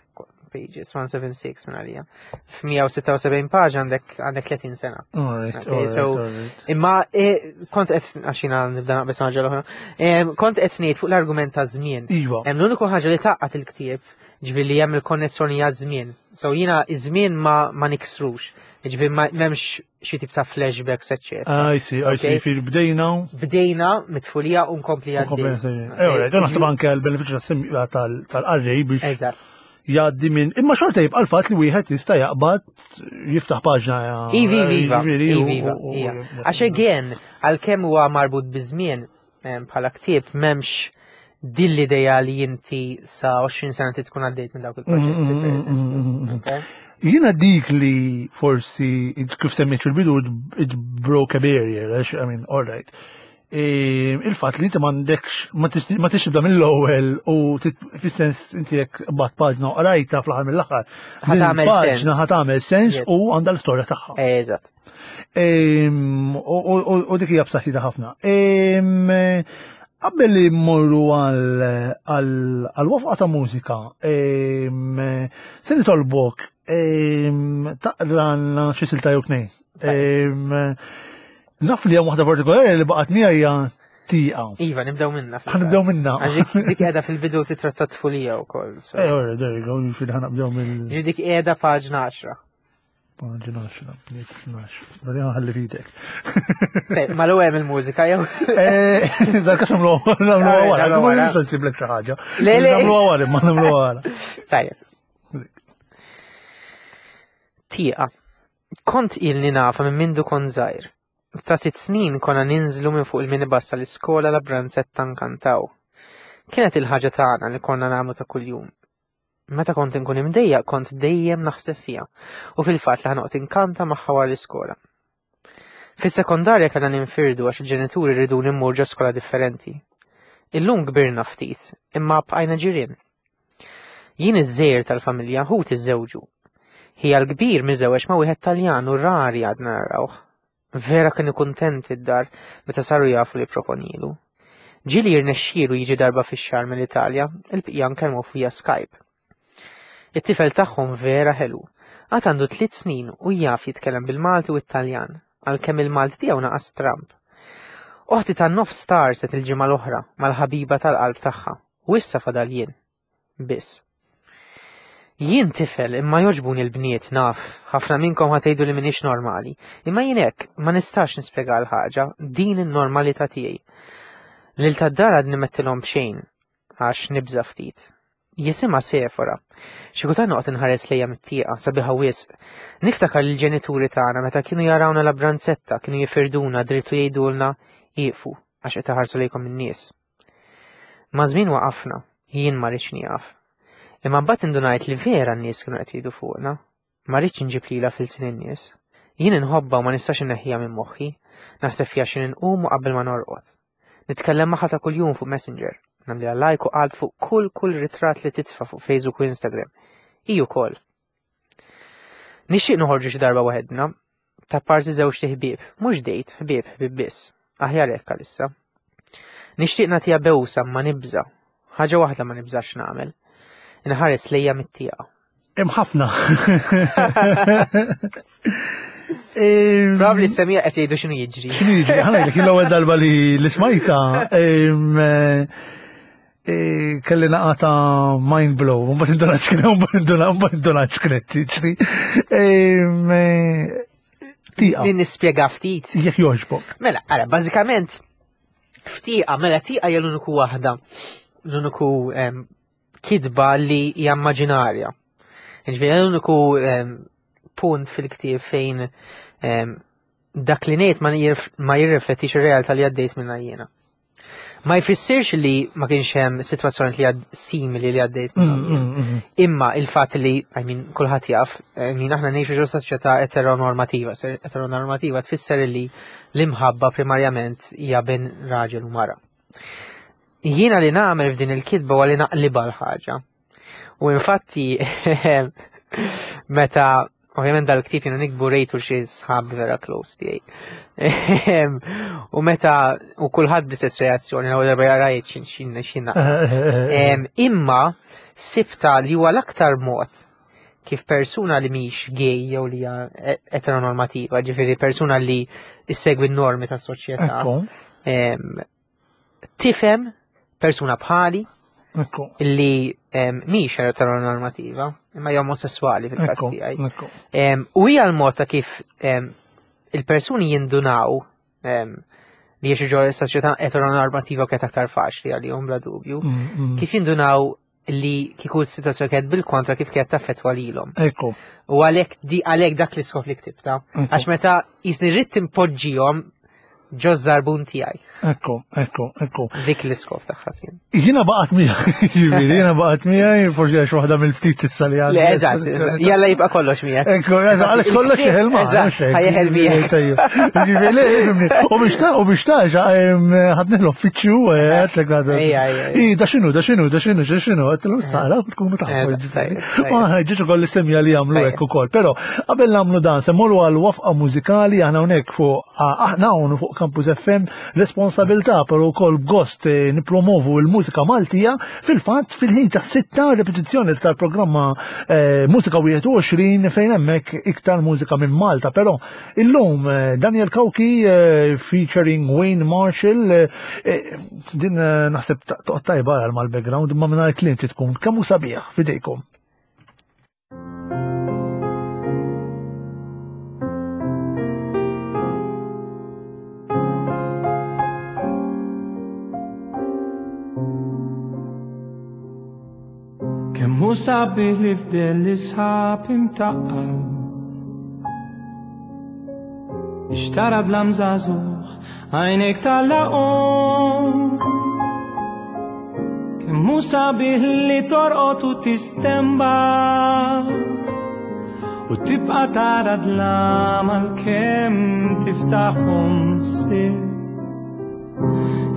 pages, mija u sebgħa u sittin minn għalija. F'mija u sitta u sebgħin paġna għandek għandek tletin sena. Alright, Okay, alright, so- alright. Imma eh, kont qed għax jiena nibda naqbes ħaġa l-oħra. Em, Kont qed ngħid fuq l-argument ta' żmien. Iva. Hemm l-uniku ħaġa li tgħaqqad il-ktieb, ġifieri li hemm il-konnessjoni għaż-żmien. So jiena iż-żmien ma ma niksrux. Ġifieri ma m'hemmx xi tip ta' flashbacks, eċċetera. I see, I see, Okay. fil bdejna. Bdejna mit-tfulija u nkompli għaddej. Eh, alright, naħseb anke l-benefiċċju tas- tal-qarrej biex Eżatt. jgħaddi minn. Imma xorta jibqa' l-fatt li wieħed jista' jaqbad jiftaħ paġna. Ivi, iva, jiġifieri, u- ivi, iva, u- u- ija. Għax again, għalkemm huwa marbut biż-żmien em, bħala ktieb m'hemmx din l-idea li inti sa għoxrin sena ti tkun għaddejt minn dawk il-proċessi, Mm, per mm, mm, eżempju. mm, mm. Okay? Jiena dik li forsi, kif semmejt fil-bidu, it broke a barrier, għax, I mean, all right. E, Il-fat li inti m'għandekx, ma tix tibda mill-ewwel u tit- fis-sens inti jekk bat paġna u qrajta fl-aħħar mill-aħħar. Ħa din tagħmel il-paġna sens. ħa tagħmel sens Yes. u għandha l-istorja tagħha. Eżatt. Em, U u- u dik hija b'saħħitha ħafna. Em, Qabel li mmorru għal wafqa ta' mużika, em, se nitolbok em, taqralna xi silta jew tnejn. Em, Naf li hemm waħda partikolari li baqgħet miegħi hija Tieqa. Iva, nibdew minna. Ħa nibdew minna. Għax dik- dik qiegħda fil-bidu titratta tfulija wkoll. so. Eh, alright, there you go, jiġifieri ħa nibdew mill Ġifieri dik qiegħda paġna għaxra. Paġna għaxra, tnax. Bari ħalli fidek. Sej, ma l-ewwel il-mużika jew. Eh, Dal-kas nagħmlu nagħmlu wara, Nagħmlu ma wara. nista' nsiblek xi ħaġa. Le, le. Nagħmlu wara, ma nagħmlu wara. Tajjeb. Tieqa. Kont ilni nafa minn mindu kont żgħir. Ta' sitt snin konna ninżlu minn fuq il-minibus tal-iskola la branzetta nkantaw. Kienet il-ħaġa tagħna li konna nagħmlu ta' kuljum. Meta kont inkun imdejjaq kont dejjem naħseb fiha u fil-fatt li ħa noqgħod inkanta magħha wara l-iskola. Fis-sekondarja kellna ninfirdu għax il-ġenituri rridu immur ġo skola differenti. Illum kbirna ftit, imma bqajna ġirien. Jien iż-żgħir tal-familja, ħuti żżewġu. Ħija l-kbir miżewweġ ma' wieħed Taljan u rari għadna narawh. Vera kienu kuntenti d-dar meta saru jafu li proponilu. Ġieli jirnexxielu jiġi darba fix-xahar mill-Italja, il-bqija nkellmu via Skype. It-tifel tagħhom vera ħelu. Għad għandu tliet snin u jaf jitkellem bil-Malti u Italjan, għalkemm il-Malti tiegħu naqas Trump. Oħti tan-nofs tgħarrset il-ġimgħa l-oħra mal-ħabiba tal-qalb tagħha u issa fadal jien. Biss. Jien tifel imma jogħġbuni l-bniet naf, ħafna minnkom ħa tgħidu li m'iniex normali, imma jien hekk ma nistax nispjega l-ħaġa, din in-normalità tiegħi. Lil tad-dar għadni m'għedtilhom b'xejn, għax nibża ftit. Jisimha Sefora. Xi kultant noqgħod inħares lejha mit-tieqa sabiħa wisq. Niftakar li l-ġenituri tagħna meta kienu jarawna la branzetta kienu jifirduna dritt u jgħidulna ieqfu għax qed iħarsu lejkom in-nies. Maż-żmien waqafna, jien ma rridx nieqaf. Imma mbagħad indunajt li vera n-nies kienu qed jgħidu fuqna. Ma rridx inġib lilha f'ilsien in-nies. Jien inħobbha u ma nistax inneħħiha minn moħħi, naħseb fiha x'ħin inqum u qabel ma norqod. Nitkellem magħha ta' kuljum fuq Messenger, nagħmlilha like u qalb fuq kull kull ritratt li titfa' fuq Facebook u Instagram. Hi wkoll. Nixtieq noħorġu xi darba waħedna, ta' parsi żewġt iħbieb, mhux date, ħbieb, ħbieb biss. Aħjar hekk għalissa. Nixtieq nagħtiha bewsa ma nibża. Ħaġa waħda ma nibżax nagħmel. Inħares lejha mit-tieqa. Hemm ħafna. Em, Probably semija qed jgħidu x'inhu jiġri. X'inhu jiġri? Ħa ngħidlek, l-ewwel darba li li smajta em, eh, eh, kelli naqata mind blow, mbagħad indunat x'kien, mbagħad indunat, mbagħad indunat x'kienet tiġri. Em, eh, Tieqa, Li nispjega ftit. jekk jogħġbok. Mela, ara, bażikament F'tieqa, mela tieqa hija l-uniku waħda, l-uniku kitba li hija immaġinarja. Ġifieri l-uniku punt fil-ktieb fejn dak li ngħid ma jirriflettix ir-realtà li għaddejt minnha jiena. Ma jfissirx li ma kienx hemm sitwazzjoni li għad simili li għaddejt minnha. Imma il-fatt li, I mean, kulħadd jaf, I mean, aħna ngħixu ġo soċjetà eteronormativa. Eteronormativa tfisser li l-imħabba primarjament hija bejn raġel u mara. Jiena li nagħmel f'din il-kitba huwa li naqlibha l-ħaġa. U infatti meta ovvjament dal-ktieb jiena nikbu rejtu xi sħab vera close tiegħi. U meta u kulħadd bl-istess reazzjoni l-ewwel darba jarajt xin xin xin. Imma sibta li huwa l-aktar mod kif persuna li mhix gay jew li hija eteronormativa, ġifieri persuna li issegwi n-normi tas-soċjetà, tifhem persuna bħali li mhix eteronormativa, imma hija omosessuali fil-każ tiegħi. U hija l-mod ta' kif il-persuni jindunaw li jgħixu ġo soċjetà eteronormativa kienet aktar faċli għalihom bla dubju, kif jindunaw li kieku s-sitwazzjoni kienet bil-kontra kif kienet taffettwa lilhom. Ekku. U għalhekk di għalhekk dak l-iskop li ktibta. Għax meta jisni rrid timpoġġihom ġo żarbun tiegħi. Ekku, ekku, ekku. Dik l-iskop tagħha kien. Jiena baqgħet miegħi, ġifieri, jiena baqgħet miegħi, forsi għax waħda mill-ftit issa li għandi. Le, eżatt, jalla jibqa' kollox miegħek. Ekku, eżatt, għalhekk kollox jeħel ma. Eżatt, ħajeħel miegħek. Ġifieri, le, ifhimni. U biex ta' u biex ta' ħadni l-uffiċċju, għedtlek għadha. Ejja, ejja. I, da x'inhu, da x'inhu, da x'inhu, da x'inhu, għedtlu stara, tkunu tafu. Ma ġiet ukoll l-istemja li jagħmlu hekk ukoll. Però qabel nagħmlu dan, se mmorru għal wafqa mużikali aħna hawnhekk fuq aħna hawn fuq Campus F M responsabilità però wkoll gost nippromovu l-mużika Maltija fil-fatt fil-ħin ta' sitta repetizzjoni tal-programma Mużika wieħed u għoxrin fejn hemmhekk iktar mużika minn Malta. Però illum Daniel Cauchi featuring Wayne Marshall, din naħseb toqgħod tajba għal mal-background imma mingħajr kliem tkun kemm hu sabiħ f'idejkom. Kemm hu sabiħ li fdel l-isħab imtaqqal, biex tara dlam żagħżugħ għajnejk tagħlaqhom. Kemm hu sabiħ li torqod u tistembaħ u tibqa' tara dlam għalkemm tiftaħhom sir.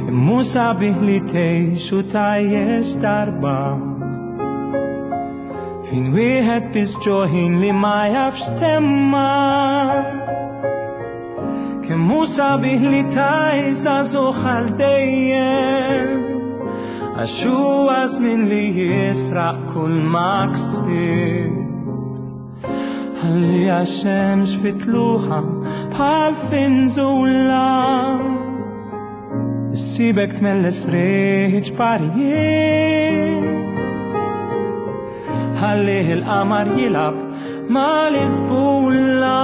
Kemm hu sabiħ li tgħix u tgħajjex darba fin wieħed biss ġoħin li ma jafx temma. Kemm hu sabiħ li tgħix żagħżugħ għal dejjem, għax huwa żmien li jisraq kull ma ksibt. Ħalli għax-xemx fitluħa bħal finżula, issibek tmelles riħ ġbarijiet. Ħallih il-qamar jilgħab mal-isbulla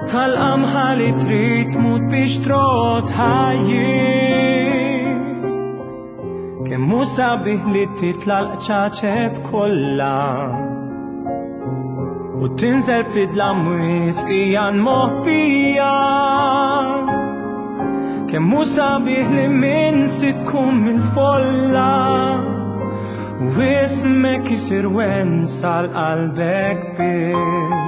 tal-qamħa li trid tmut biex trot ħajjiet. Kemm hu sabiħ li titla' l-qċaċet kollha u tinżel fid-dlam mwiet f'qiegħan moħbija. Kemm hu sabiħ li minsi tkun mill-folla u ismek isir wensa l-qalbek biss.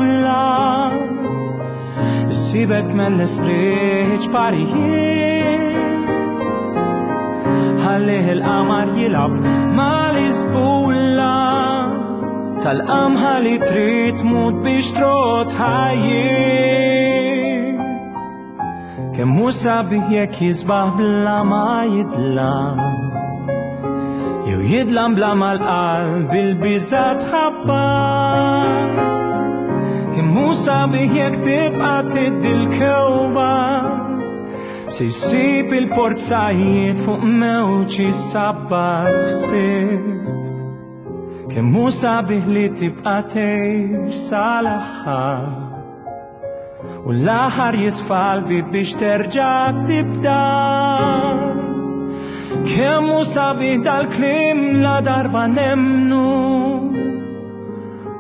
l-isbulla. Issibek tmelles riħ parijiet, ħallih il-qamar jilgħab mal-isbulla. Tal-qamħa li trid tmut biex trot ħajjiet. Kemm hu sabiħ jekk jisbaħ bla ma jidlam, jew jidlam bla ma l-qalb il-biża' tħabbat. Kemm hu sabiħ jekk tibqa' tiddi l-kewba, se jsib il-porzajiet fuq mewġ isabbaħ ħsieb. Kemm hu sabiħ li tibqa' tgħix sal-aħħar, u l-aħħar jisfa' l-bieb biex terġa' tibda. Kemm hu sabiħ dal-kliem la darba nemmnu,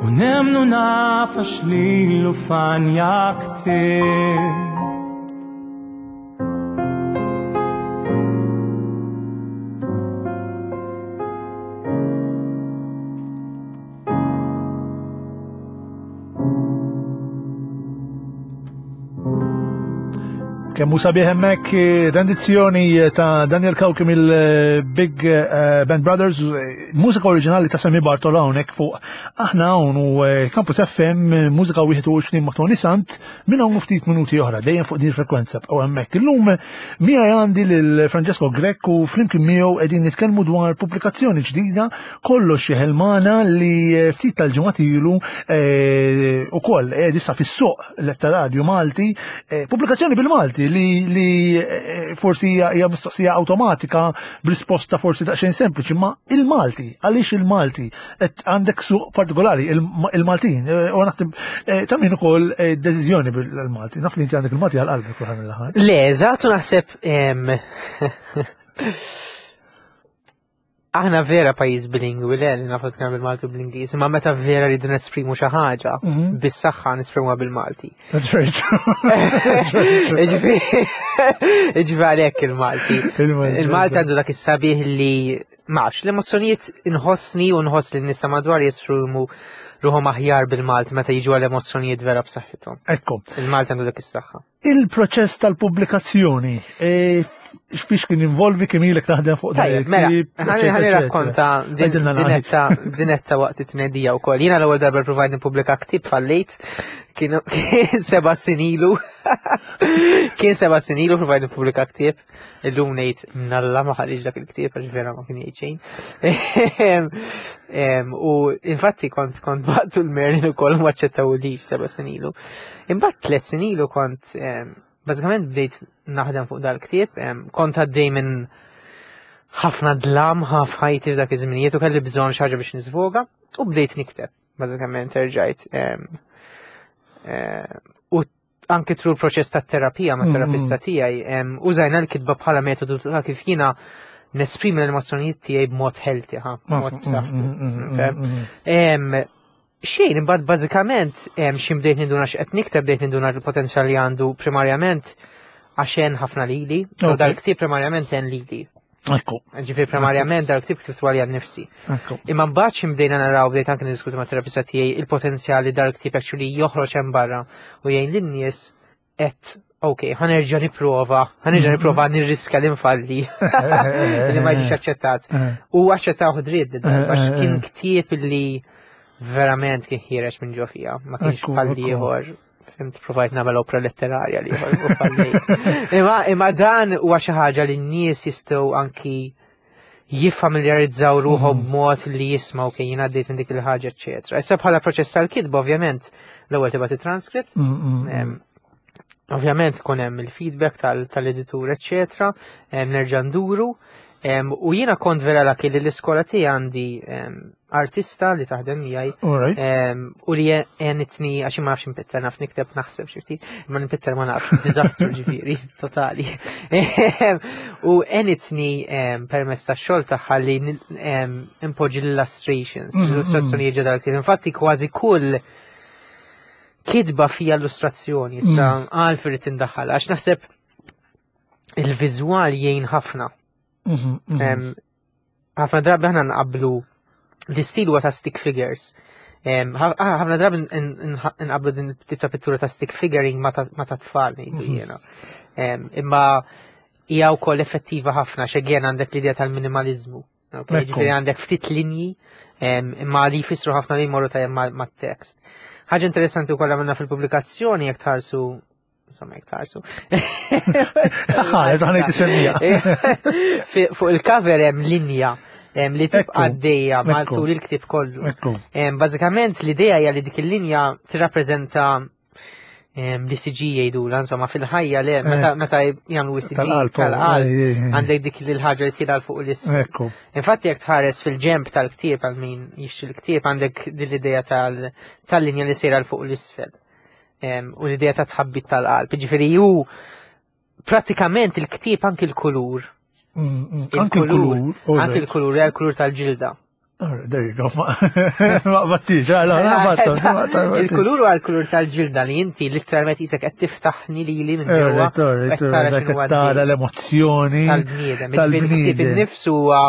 u nemmnu naf għax lilu fanja ktieb. Kemm hu sabiħ hemmhekk rendizzjoni ta' Daniel Cauchi mill-Big Band Brothers, mużika oriġinali ta' Sammy Bartola hawnhekk fuq aħna hawn u Campus F M, mużika wieħed u għoxrin ma' Toni Sant, minn hawn ftit minuti oħra dejjem fuq din il-frekwenza bqgħu hemmhekk. Illum miegħi għandi lil Francesco Grech u flimkien miegħu qegħdin nitkellmu dwar pubblikazzjoni ġdida Kollox Jeħel Magħna li ftit tal-ġimgħat ilu ukoll qiegħed issa fis-suq letterarju Malti, pubblikazzjoni bil-Malti li, li forsi hija, hija mistoqsija awtomatika b'risposta forsi daqsxejn sempliċi, ma il-Malti, għaliex il-Malti? Et għandek suq partikolari, il-Maltin, u naħseb ta' min ukoll deċiżjoni bil-Malti. Naf li inti għandek il-Malti għal qalbek fl-aħħar mill-aħħar. Le, eżatt, u naħseb, em, aħna vera pajjiż bilingwi, le, li nafu nitkellmu bil-Malti u bl-Ingliż, imma meta vera rridu nesprimu xi ħaġa, Mhm. bis-saħħa nesprimuha bil-Malti. That's very true. That's very true. Jiġifieri, jiġifieri għalhekk il-Malti. Il-Malti, Il-Malti għandu dak is-sabiħ li ma nafx, l-emozzjonijiet inħossni u nħoss li n-nisa madwar jesprimu ruħhom aħjar bil-Malti meta jiġu għal emozzjonijiet vera b'saħħithom. Ekku. Il-Malti għandu dak is-saħħa. Il-proċess tal-pubblikazzjoni, e, x'fiex kien involvi, kemm ilek taħdem fuq dan Tajjeb, mela, il-ktieb, ħani eċetera, ħani eċetera. rakkonta din- Għidilna naqra. dinetta, dinetta waqt it-tnedija wkoll. Jiena l-ewwel darba provajt nippubblika ktieb fallejt, kienu seba' snin ilu. Kien seba' snin ilu provajt nippubblika ktieb. Illum ngħid mnalla ma ħallix dak il-ktieb għax vera ma kien jgħid xejn. Em, u infatti kont, kont baqtu l-Merlin ukoll ma aċċettawlix seba' snin ilu. Imbagħad tliet snin ilu kont, em, bażikament bdejt naħdem fuq dal-ktieb, em, kont għaddej minn ħafna dlam ħaf ħajti f'dak iż-żminijiet u kelli bżonn xi ħaġa biex nisvoga u bdejt nikteb. Bażikament erġajt, em, eh, u anke tru l-proċess tat-terapija ma' terapista Mm. tiegħi, em, użajna l-kitba bħala metodu ta' kif jiena nesprimi l-emozzjonijiet tiegħi b'mod healthy, ha, b'mod Mm, b'saħħtu. mm, mm, mm, Okay? mm, mm. Em, xejn, imbagħad bażikament, em, xi bdejt ninduna x'qed nikteb, bdejt ninduna l-potenzjal li għandu primarjament għax għen ħafna lili. So Okay. dal-ktieb primarjament għen lili. Ekku. Ġifieri primarjament dal-ktieb ktibtu għalija nnifsi. Ekku. Imma mbagħad xi bdejna naraw, bdejt anke niddiskuti ma' terapista tiegħi il-potenzjal li dal-ktieb actually joħroġ hemm barra u jgħin lin-nies qed ok, ħanerġa' nipprova, ħanerġa' nipprova nirriska li nfalli. Li ma jiġix aċċettat. U aċċettaw dritt, għax kien ktieb li verament kien ħiereġ minn ġo fija, ma kienx Ekku, bħal ekku. ieħor. Fimt, provajt nagħmel opra letterarja li ieħor u fallejt. Imma, imma dan huwa xi ħaġa li n-nies jistgħu anki jiffamiljarizzaw ruħhom Mhm. b'mod li jismgħu kien jien għaddejt minn dik il-ħaġa, eċċetera. Issa bħala proċess tal-kitba, ovvjament, l-ewwel tibgħat it-transcript. Mm, mm, mm. Em, ovvjament ikun hemm il-feedback tal-, tal-editur, eċċetera, em, nerġa' nduru. Em, u jiena kont vera lucky li l-iskola tiegħi għandi, em, artista li taħdem miegħi, All right. em, u li għenitni, għax ma nafx npitter, naf nikteb naħseb xi ftit, ma npitter ma nafx, diżastru ġifieri, totali. Em, u għenitni, em, permezz tax-xogħol tagħha li nil-, em, impoġġi l-illustrations, Mm, mm. l-illustrazzjoni ġodda l-ktieb. Infatti kważi kull kitba fija illustrazzjoni, issa Mm. għalfejn irrid indaħħal, għax naħseb il-viżwal jgħin ħafna. Mhm, mhm. Em, ħafna drabi aħna nqablu l-istil huwa ta' stick figures. Em, ħa- ah, Ħafna drabi nqablu din tip ta' pittura ta' stick figuring ma ta' ma ta' tfal ngħidu Mhm. jiena. Em, Imma hija wkoll effettiva ħafna x'again għandek l-idea tal-minimalizmu. Ok, Ekku. Ġifieri għandek ftit linji em, imma li jfissru ħafna li jmorru tajjeb ma- mat-tekst. Ħaġa interessanti wkoll għamilna fil-pubblikazzjoni jekk tħarsu, insomma, jekk tħarsu. Ħares, ħa ngħid isemmija. Fi- Fuq il-cover hemm linja em, li tibqa' Ekku, għaddejja ekku. matul il-ktieb kollu. Ekku. Em, Bażikament l-idea hija li dik il-linja tirrappreżenta em, l-E C G jgħidula, insomma, fil-ħajja le, meta meta jagħmlu E C G Tal-qalb, tal-qalb, ej, ej, ej. għandek dik il-ħaġa li tila fuq l-isfel. Ekku. Infatti jekk tħares fil-ġemp tal-ktieb, għal min jixtri l-ktieb, għandek din l-idea tal- tal-linja li sejra 'l fuq l-isfel. Em, U l-idea ta' tħabbit tal-qalb. Ġifieri ju pratikament il-ktieb, anki l-kulur. Mm, mm, Anki Il-kulur. il-kulur. Anki l-kulur, hija l-kulur tal-ġilda. There you go. Ma battix, għala, ma Il-kulur huwa l-kulur tal-ġilda li inti literalment qisek qed tiftaħni lili minn ġewwa u qed tara x'inhu Tara għaddej l-emozzjoni. tal-bniedem. Ġifieri il-ktieb Tal-bniedem. innifsu huwa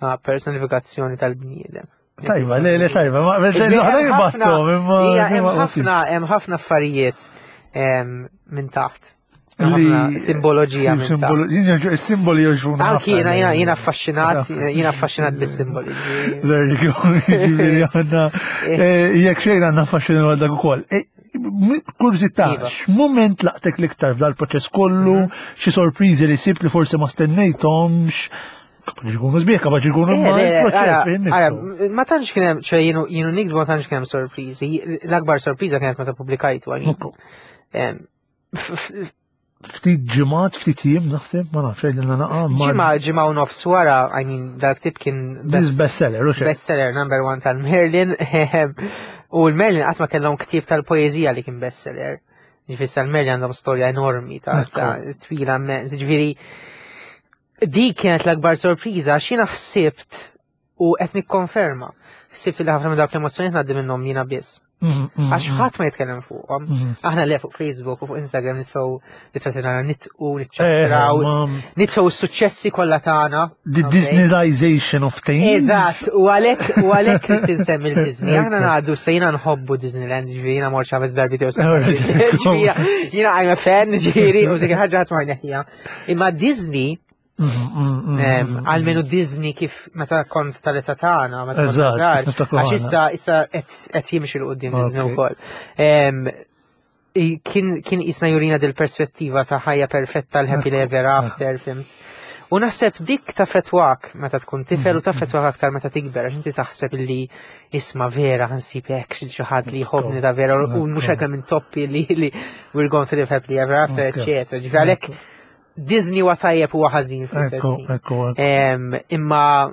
ah, personifikazzjoni tal-bniedem. Tajba, le, le, tajba. Ma Ġifieri l-oħrajn hemm ħafna- battom, imma. Ija, hemm ma battix. ħafna hemm ħafna affarijiet em, minn taħt. Hemm Li- ħafna simboloġija minn taħt. Simboli jogħġbuna. Anki jiena jiena jiena affaxxinat, jiena affaxxinat bis-simboli. There you go. Ġifieri għandna, eh, jekk xejn għandna affaxxinat għal dak ukoll. Eh, m- Kurżità, Iva. x'mument laqtek l-iktar f'dal-proċess kollu, xi sorpriżi li sibt li forsi ma stennejthomx, kapaċi jkunu sbieħ, kapaċi jkunu Eh, ma le, le, il-proċess ara, fejn ara, nifsu. ma tantx kien hemm, ċe jienu jienu nikdbu ma tantx kien hemm sorpriżi. L-akbar sorpriża kienet meta pubblikajtu għal. Ekku. Ftit ġimgħat, ftit jiem naħseb, ma nafx għidilna naqa. ma- Ġimgħa ġimgħa u nofs wara, I mean, dal-ktieb kien This bestseller, u xejn. bestseller number one tal-Merlin. U l-Merlin qatt ma kellhom ktieb tal-poeżija li kien bestseller. Ġifieri tal-Merlin għandhom storja enormi ta' Ekku. ta' twila immens. Ġifieri dik kienet l-akbar sorpriża għax jiena ħsibt u qed nikkonferma. Ħsibt li ħafna minn dawk l-emozzjonijiet ngħaddi minnhom jiena biss. Mm, mm, Għax mm, ħadd ma jitkellem fuqhom. mm. Aħna le fuq Facebook u fuq Instagram nitfgħu ritratti tagħna nitqu, Eh, niċċaċċraw, ma- nitfgħu s-suċċessi kollha tagħna. The Ok? Disneyization of things. Eżatt, u għalhekk u għalhekk li tinsemmi l-Disney. Aħna Ekku. ngħadu se jiena nħobbu Disneyland, ġifieri jiena mort ħames darbiet jew Alright. Ġifieri jiena I'm a fan, ġifieri, u dik il-ħaġa ħadd ma jneħħiha. Imma Disney, Mm, mm, mm, em, mm. almenu Disney kif meta kont tal-età tagħna, meta kont Eżatt, żgħar, niftakru għax ħana. issa issa qed qed jimxi 'l quddiem Disney Ok. ukoll. Em, i- Kien kien jisna jurina dil-perspettiva ta' ħajja perfetta, l-happy ever after, fhimt. U naħseb dik taffettwak meta tkun tifel u taffettwak aktar meta tikber, għax inti taħseb li isma' vera ħa nsib hekk xi xi ħadd li jħobbni ta' vera u mhux hekk minn toppi li li we're going to live happily ever after, Ok. eccetera. Ġifieri għalhekk Disney huwa tajjeb huwa ħażin fl-istess Ekku, ħin. ekku, ekku. Em, Imma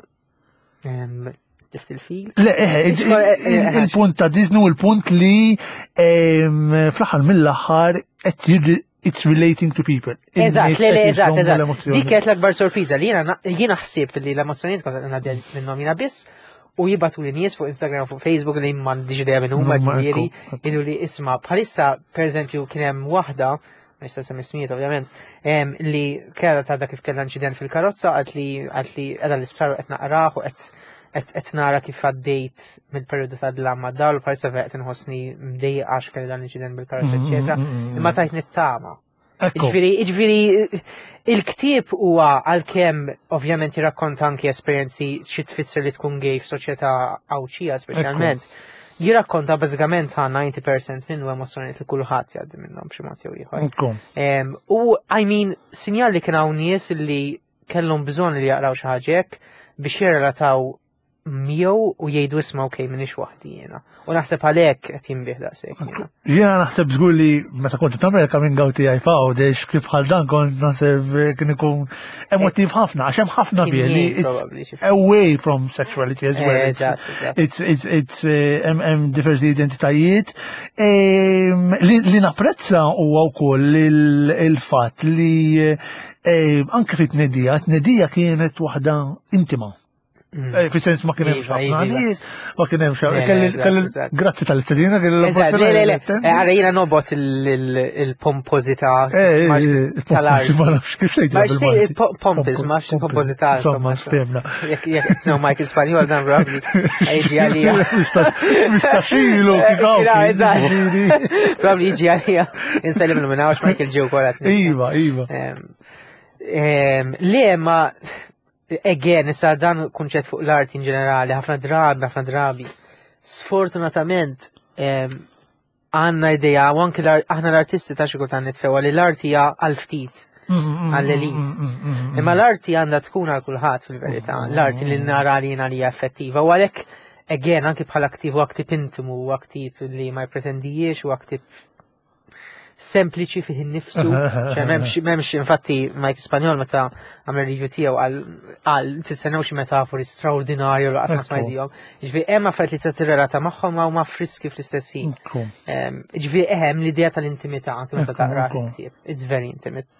em, tift il-fil? Le, eh, il- il- il-punt ta' Disney u il-punt li em, fl-aħħar mill-aħħar qed jirri- it's relating to people. Eżatt, In-nies le, le, qed eżatt, jifhmu eżatt. l-emozzjoni. Dik kienet l-akbar sorpriża li jiena jiena ħsibt li l-emozzjonijiet kont ngħaddi minnhom jiena biss u jibagħtu li nies fuq Instagram, fuq Facebook li m'għandix idea minn huma, Huma, ġifieri, ekku, ekku. jgħidu li isma' bħalissa, pereżempju, kien hemm waħda, ma nista' nsemmi ismijiet ovvjament, em, li kellha ta' kif kellha inċident fil-karozza, għalt li għalt li qiegħda l-isptar u qed naqrah u qed qed qed nara kif għaddejt mill-perjodu ta' dlam ma' dawl, bħalissa vera qed inħossni mdejqa għax kelli dan l-inċident bil-karozza, Mm, eċetera. mm, mm, mm. Imma tajt nittama. Ekku. Ġifieri, ġifieri, il-ktieb huwa għalkemm ovvjament jirrakkonta anki esperjenzi xi tfisser li tkun gay f'soċjetà Għawdxija speċjalment. Jirrakkonta bażikament ħa disgħin fil-mija minnu emozzjonijiet li kulħadd jgħaddi minnhom b'xi mod jew ieħor. Ekku. Em, U I mean, sinjal li kien hawn nies li kellhom bżonn li jaqraw xi ħaġa hekk biex jirrelataw miegħu u jgħidu isma' okej, m'iniex waħdi jiena. U naħseb għalhekk qed jinbiegħ daqshekk jiena. Jiena naħseb żgur li meta kont tagħmel coming out tiegħi f'Għawdex kif bħal dan kont naħseb kien ikun emotiv ħafna għax hemm ħafna Kien fih li jgħin it's probably xi ftit. away from sexuality as well. It's- Eżatt, eżatt. It's it's it's eh, hemm hemm diversi identitajiet. Em, Li li napprezza huwa wkoll il- il-fatt li eh, anke fit-tnedija, tnedija kienet waħda intima. Mm. Eh, Fi sens ma kien hemm Iva, ħafna iva, iva. nies, ma kien hemm Le, xi le, kelli eżatt, kelli eżatt. grazzi tal-istedina kelli Eżatt, le, le, le, l-opportunità. Eh, Għara jiena nobgħod il-pompożità Eh, eh, tal-art. Ma nafx kif tgħidha Ma xtej, bil-Malti. pompis, ma xtej pompożità, Insomma, insomma. stemna. Jekk jekk tisnew Michael Spanjol dan probably jiġi għalija. Mistaxilu, kif hawn. Kif hawn, eżatt. Probably jiġi għalija. Insellim minn hawnx Michael ġew kolat. Iva, iva. Em, Le, ma again, issa dan kunċett fuq l-art in ġenerali, ħafna drabi, ħafna drabi. Sfortunatament, em, għandna idea, u anki l-ar- aħna l-artisti ta' xi kultant nitfewa li l-arti hija għal ftit. Għall-elit. Imma l-arti għandha tkun għal kulħadd fil-verità, l-arti li nara li jiena li hija effettiva. U għalhekk, again, anki bħala ktieb u ktieb intimu, u ktieb li ma jpretendijiex, u ktieb sempliċi fih innifsu. ċe m'hemmx, m'hemmx, infatti, Mike Spanjol meta għamel review tiegħu għal għal tistennew xi metafori straordinarju li qatt ma Ekku. smajtihom. Ġifieri hemm affarijiet li se tirrelata magħhom ma huma friski fl-istess ħin. Em, Ġifieri hemm l-idea tal-intimità anke meta Ekku, taqra ekku. l-ktieb. It's very intimate.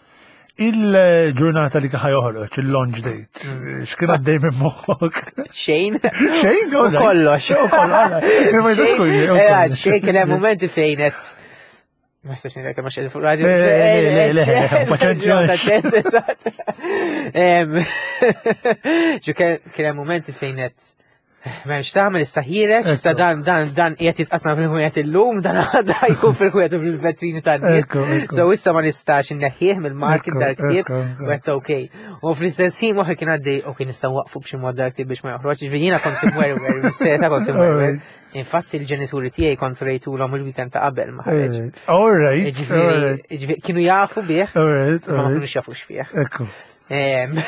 Il-ġurnata li ħa joħroġ, il-launch date, x'kien għaddej minn moħħok? Xejn. Xejn, U kollox. U kollox. Ma Xejn, jkunx, u eh, kollox. xejn kien hemm momenti fejn qed Ma nistax ngħidlek ma xejn fuq radio. Le, le, le, le, paċenzja. Eżatt. Em, Ġu kien kien hemm momenti fejn qed M'hemmx tagħmel issa ħiereġ, issa Ekku. dan dan dan qiegħed jitqassam fil-ħwienet illum, dan għada jkun fil-ħwienet u fil-vetrini tan-nies. Ekku, ekku. So issa ma nistax inneħħih mill-market Ekku, dal-ktieb ekku, ekku. u għedt okej. U fl-istess ħin moħħi kien għaddej, ok, nistgħu waqfu b'xi mod dal-ktieb biex ma joħroġ, ġifieri jiena kont imwerwer, bis-serjetà kont imwerwer. Infatti il-ġenituri tiegħi kont rejtulhom il-weekend ta' qabel ma ħareġ. All right, all Ġifieri, right, ġifieri, kienu jafu bih, all right, ma all ma right. kinux jafu x'fih. Ekku. Em,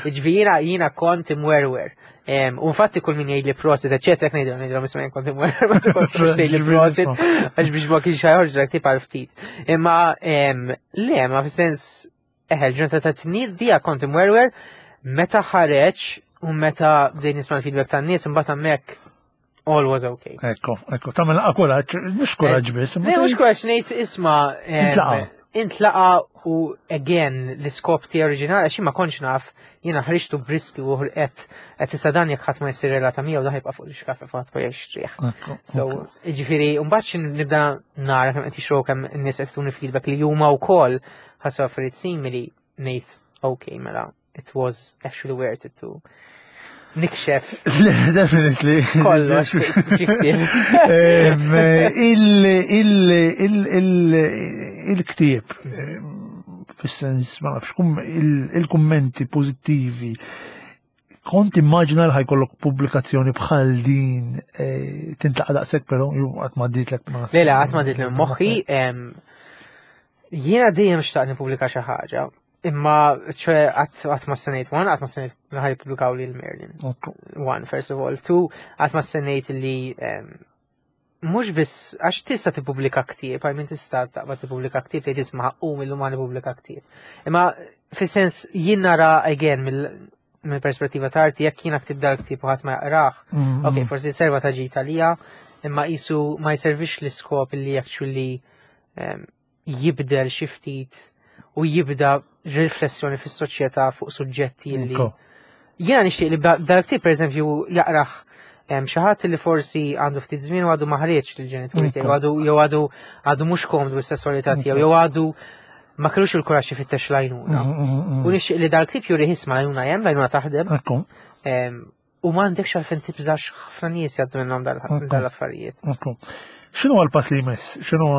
Ġifieri jiena jiena kont imwerwer. Em, U infatti kull min jgħid li prosit, eċetera, jekk ngħidu ngħidu isma' jien kont imwerwer, ma kont tgħid li prosit, għax biex ma kienx ħa joħroġ dak tip għal ftit. Imma em, le, ma fis-sens eħe, l-ġurnata ta' tnedija kont imwerwer meta ħareġ u meta bdejt nisma' l-feedback tan-nies imbagħad hemmhekk all was okay. Ekku, ekku. Tagħmel kuraġġ, mhux kuraġġ biss. Le, mhux kuraġġ ngħid isma' em, Intlaqa. Intlaqa u again l-iskop tiegħi oriġinali għax jien ma kontx naf jiena ħriġtu b'riskju u qed qed issa dan jekk ħadd ma jsir relata miegħu dan jibqa' fuq l-ixkaffa ħadd ma jixtrih. Ekku. So, ġifieri, mbagħad xin nibda nara kemm qed jixtru kemm in-nies qed tuni feedback li huma wkoll ħassu affarijiet simili ngħid okay mela it was actually worth it to nikxef Le, definitely. kollox xi ktieb. Em, il- il- il- il- Il-ktieb, em, fis-sens, ma nafx, kum- il- il-kummenti pozittivi, kont immaġina li ħa jkollok pubblikazzjoni bħal din eh, tintlaqa daqshekk però jew qatt ma għaddietlek ma Le, le, qatt ma għaddiet minn moħħi, em, jiena dejjem xtaqt nippubblika xi ħaġa, imma ċe qatt qatt ma stennejt one, qatt ma stennejt li ħa jippubblikaw li l-Merlin. Ekku. One, first of all. Two, qatt ma stennejt li em, mhux biss għax tista' tippubblika ktieb, I mean tista' taqbad tippubblika ktieb li tisma' u illum ma nippubblika ktieb. Imma fis-sens jien nara again mill mill-perspettiva ta' arti jekk jiena ktib dal-ktieb u ħadd ma jaqrah, Mm, ok, forsi serva ta' ġid għalija, imma qisu ma jservix l-iskop li actually em, jibdel xi ftit u jibda riflessjoni fis-soċjetà fuq suġġetti li Ekku. Jiena nixtieq li dal-ktieb pereżempju jaqrah em, xi ħadd li forsi għandu ftit żmien u għadu ma ħareġ lill-ġenituri tiegħu, għadu jew għadu għadu mhux komdu bis-sesswalità tiegħu, jew għadu ma kellux il-kuraġġ ifittex l-għajnuna. Mm, mm, mm. U nixtieq li dal-ktieb juri isma' l-għajnuna hemm, l-għajnuna taħdem, Ekku, em, u m'għandekx għalfejn tibżax ħafna nies jgħaddu minnhom dal- Ekku. dal-affarijiet. ekku. X'inhu l-pass li jmiss? X'inhu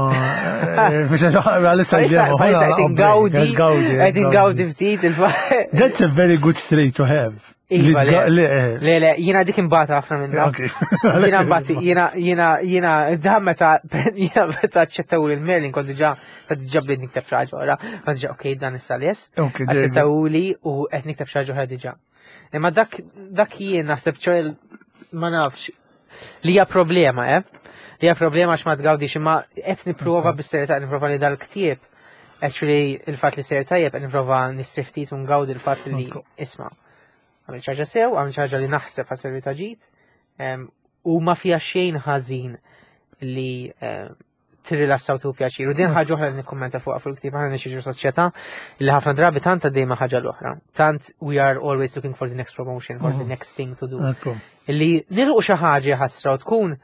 għalissa Bħalissa bħalissa qed ingawdi, qed ingawdi ftit il That's a very good trait to have. Iva, Li le. tga- le, eh, Le, le, jiena dik imbata ħafna minna. Ok. Jiena mbagħad jiena jiena jiena da meta jiena meta aċċettaw lil Merlin kont diġà kont diġà bdejt nikteb xi ħaġa oħra. Kont diġà okej dan issa lest. Ok, there you go. Aċċettawli u qed nikteb xi ħaġa oħra diġà. Imma dak dak jien naħseb ċoħ ma nafx li hija problema, eh? Li hija problema għax ma tgawdix imma qed nipprova bis-serjetà nipprova li dal-ktieb actually il-fatt li ser tajjeb qed nipprova nistrieħ ftit u ngawdi il-fatt li Ok. isma' għamil ħaġa sew, għamil ħaġa li naħseb ħa sservi ta' ġid, em, u ma fija xejn ħażin li em, tirrilassa u tieħu pjaċir. U din ħaġa oħra li nikkummenta fuqha fuq il-ktieb, aħna ngħixu soċjetà li ħafna drabi tant għaddejma ħaġa l-oħra. Tant we are always looking for the next promotion or the Mhm. next thing to do. Ekku. Illi nilħqu xi ħaġa ħasra u tkun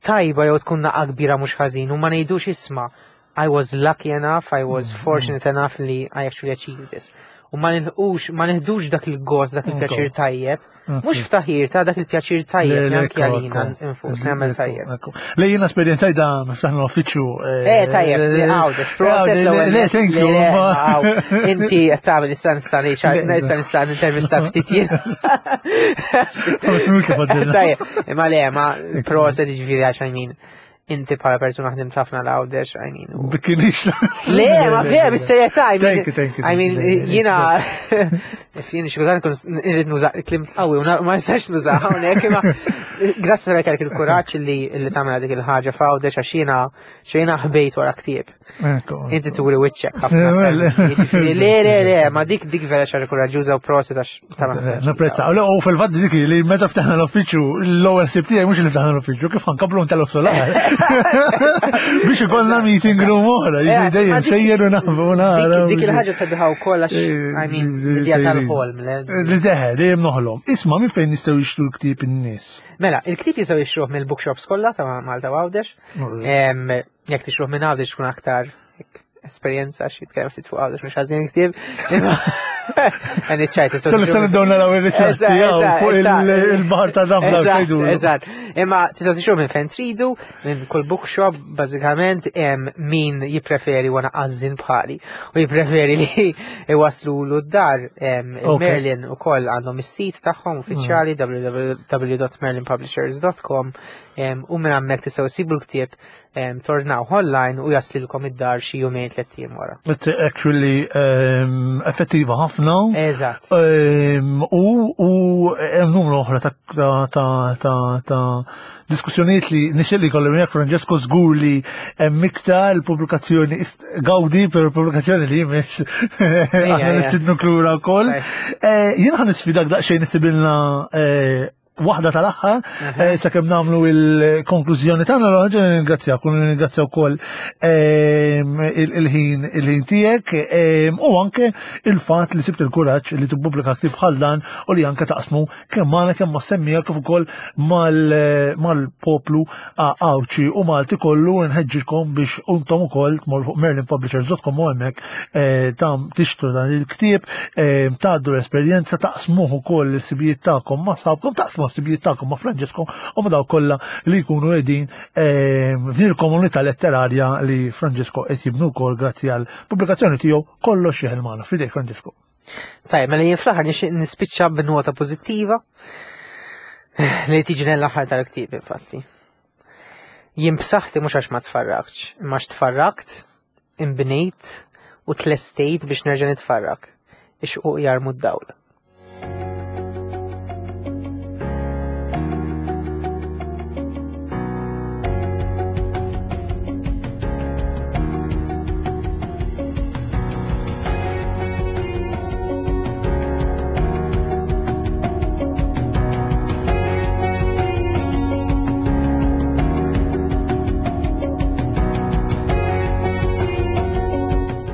tajba jew tkun naqa kbira mhux ħażin u ma ngħidux isma' I was lucky enough, I was Mhm. fortunate enough li I actually achieved this. U ma nilħqux, ma neħdux dak il-gost, dak il-pjaċir tajjeb, mhux ftaħir ta' dak il-pjaċir tajjeb li anki għalina nfus nagħmel tajjeb. Le jiena esperjenzajt da ftaħna l-uffiċċju. Eh, tajjeb, li għawdex, proset l-ewwel. Le, thank you. Le, le, ma- għaw. Inti qed tagħmel issa nista' ngħid, issa nista' nintervista ftit jien. Mhux kif għaddilna. Tajjeb, imma le, ma proset ġifieri għax I mean, inti bħala persuna ħdimt ħafna l-Għawdex, I mean. u- Bikinix. Le, ma vera, bis-serjetà, I mean, Thank you, thank you. I mean, jiena, jien xi kultant nkun irrid nuża kliem qawwi u na- ma nistax nuża hawnhekk, imma grazzi tal kellek il-kuraġġ li li tagħmel dik il-ħaġa f'Għawdex għax jiena xejna ħbejt wara ktieb. Ekku. Inti turi wiċċek ħafna. Eh, aktar. Jiġifieri, Le, le, le, ma dik dik vera xi ħaġa kuraġġuża u proset għax tagħmel. Napprezza. Le, u fil-fatt dik li meta ftaħna l-uffiċċju, l-ewwel ħsieb tiegħi mhux li ftaħna l-uffiċċju, kif ħa nkabbru ntellgħu solar. Biex ikollna meeting room oħra, Eh, jiġri dejjem ma dik- sejjer u nafu nara. Dik dik il-ħaġa sabiħa wkoll għax I mean, l-idea tal-ħolm. le. Li deħe, dejjem noħlom. Isma' minn fejn nistgħu jixtru l-ktieb in-nies. Mela, il-ktieb jistgħu jixtruh mill-bookshops kollha ta' Malta u Għawdex. Em, Jekk tixtruh minn Għawdex tkun aktar hekk esperjenza xi jitkellem ftit fuq Għawdex mhux ħażin ktieb. Imma għan iċċajta. so Sal tixtruh- sal nibdew naraw ir-ritratti Eżatt, jew eżatt, fuq il- eżatt. il-baħar ta' Damla Eżatt, tgħidu. eżatt. Imma tistgħu tixtruh minn fejn tridu, minn kull bookshop, bażikament, hemm min jippreferi wana għażżin bħali u jippreferi li iwaslulu d-dar. em, Ok. Merlin ukoll għandhom is-sit tagħhom uffiċjali w w w dot merlinpublishers dot com em, u minn hemmhekk tistgħu ssibu l-ktieb em, tordnaw online u jaslilkom id-dar xi jumejn tliet ijiem wara. It's actually um, effettiva ħafna. Eżatt. Um, u u hemm numru oħra ta' ta' ta' ta' ta' diskussjonijiet li nixtieq li jkolli miegħek Francesco, żgur li hemm iktar il-pubblikazzjoni ist- gawdi per pubblikazzjoni li jmiss aħna ejja. nistidnu klura wkoll. Eh, Jien ħa nisfidak daqsxejn issibilna eh, waħda tal-aħħar eh, sakemm nagħmlu il-konklużjoni tagħna. L-ħaġa nirringrazzjak u nirringrazzja wkoll ehm, il- il-ħin il-ħin tiegħek ehm, u anke il-fatt li sibt il-kuraġġ li tippubblika ktieb bħal dan u li anke taqsmu kemm magħna kemm mas-semmiegħa kif ukoll mal- mal-poplu Għawdxi u Malti kollu. Nħeġġikom biex intom ukoll tmorru fuq merlin publishers dot com u hemmhekk eh, tam tixtru dan il-ktieb, eh, tgħaddu l-esperjenza, taqsmuh ukoll il-ħsibijiet tagħkom ma' sħabkom, taqsmu l-ħsibijiet tagħkom ma' Francesco u ma' dawk kollha li jkunu qegħdin eh, f'din il-komunità letterarja li Francesco qed jibnu wkoll grazzi għal pubblikazzjoni tiegħu Kollox Jeħel Magħna. F'idejk, Francesco. Tajjeb, mela jien fl-aħħar nixtieq nispiċċa b'nota pożittiva li tiġi l-aħħar tal-ktieb infatti. Jien b'saħħti mhux għax ma tfarraktx, imma għax tfarrakt, imbnejt u tlestejt biex nerġa' nitfarrak. Ix-xquq jarmu d-dawl.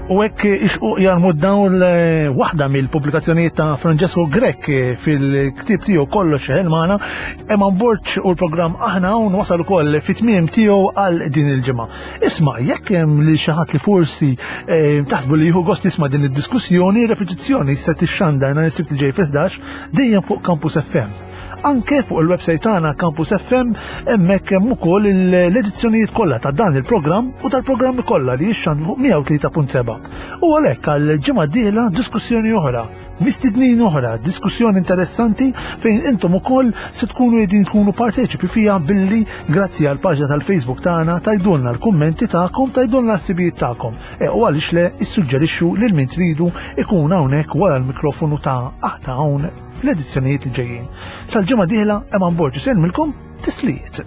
U hekk Ix-Xquq Jarmu d-Dawl, eh, waħda mill-pubblikazzjonijiet ta' Francesco Grech eh, fil-ktieb tiegħu Kollox Jeħel Magħna. Eman Borg u l-programm Aħna Hawn wasal ukoll fit-tmiem tiegħu għal din il-ġimgħa. Isma', jekk hemm li xi ħadd li forsi eh, taħsbu li jieħu gost jisma' din id-diskussjoni, repetizzjoni se tixxandar nhar is-Sibt li ġej fil-ħdax dejjem fuq Campus F M. Anke fuq il-website tagħna Campus F M, hemmhekk hemm ukoll l-edizzjonijiet kollha ta' dan il-programm u tal-programmi kollha li jixxandru fuq mija u tlieta punt seba'. U għalhekk għal ġimgħa d-dieħla diskussjoni oħra, mistednin oħra, diskussjoni interessanti fejn intom ukoll se tkunu qegħdin tkunu parteċipi fija billi grazzi għal paġna tal-Facebook tagħna tgħidulna l-kummenti tagħkom, tgħidulna l-ħsibijiet tagħkom. E, u għaliex le issuġġerixxu lil min tridu ikun hawnhekk wara l-mikrofonu ta' Aħna Hawn fl-edizzjonijiet li ġejjin. Sal-ġimgħa dieħla, Eman Borg isellmilkom, tislijiet.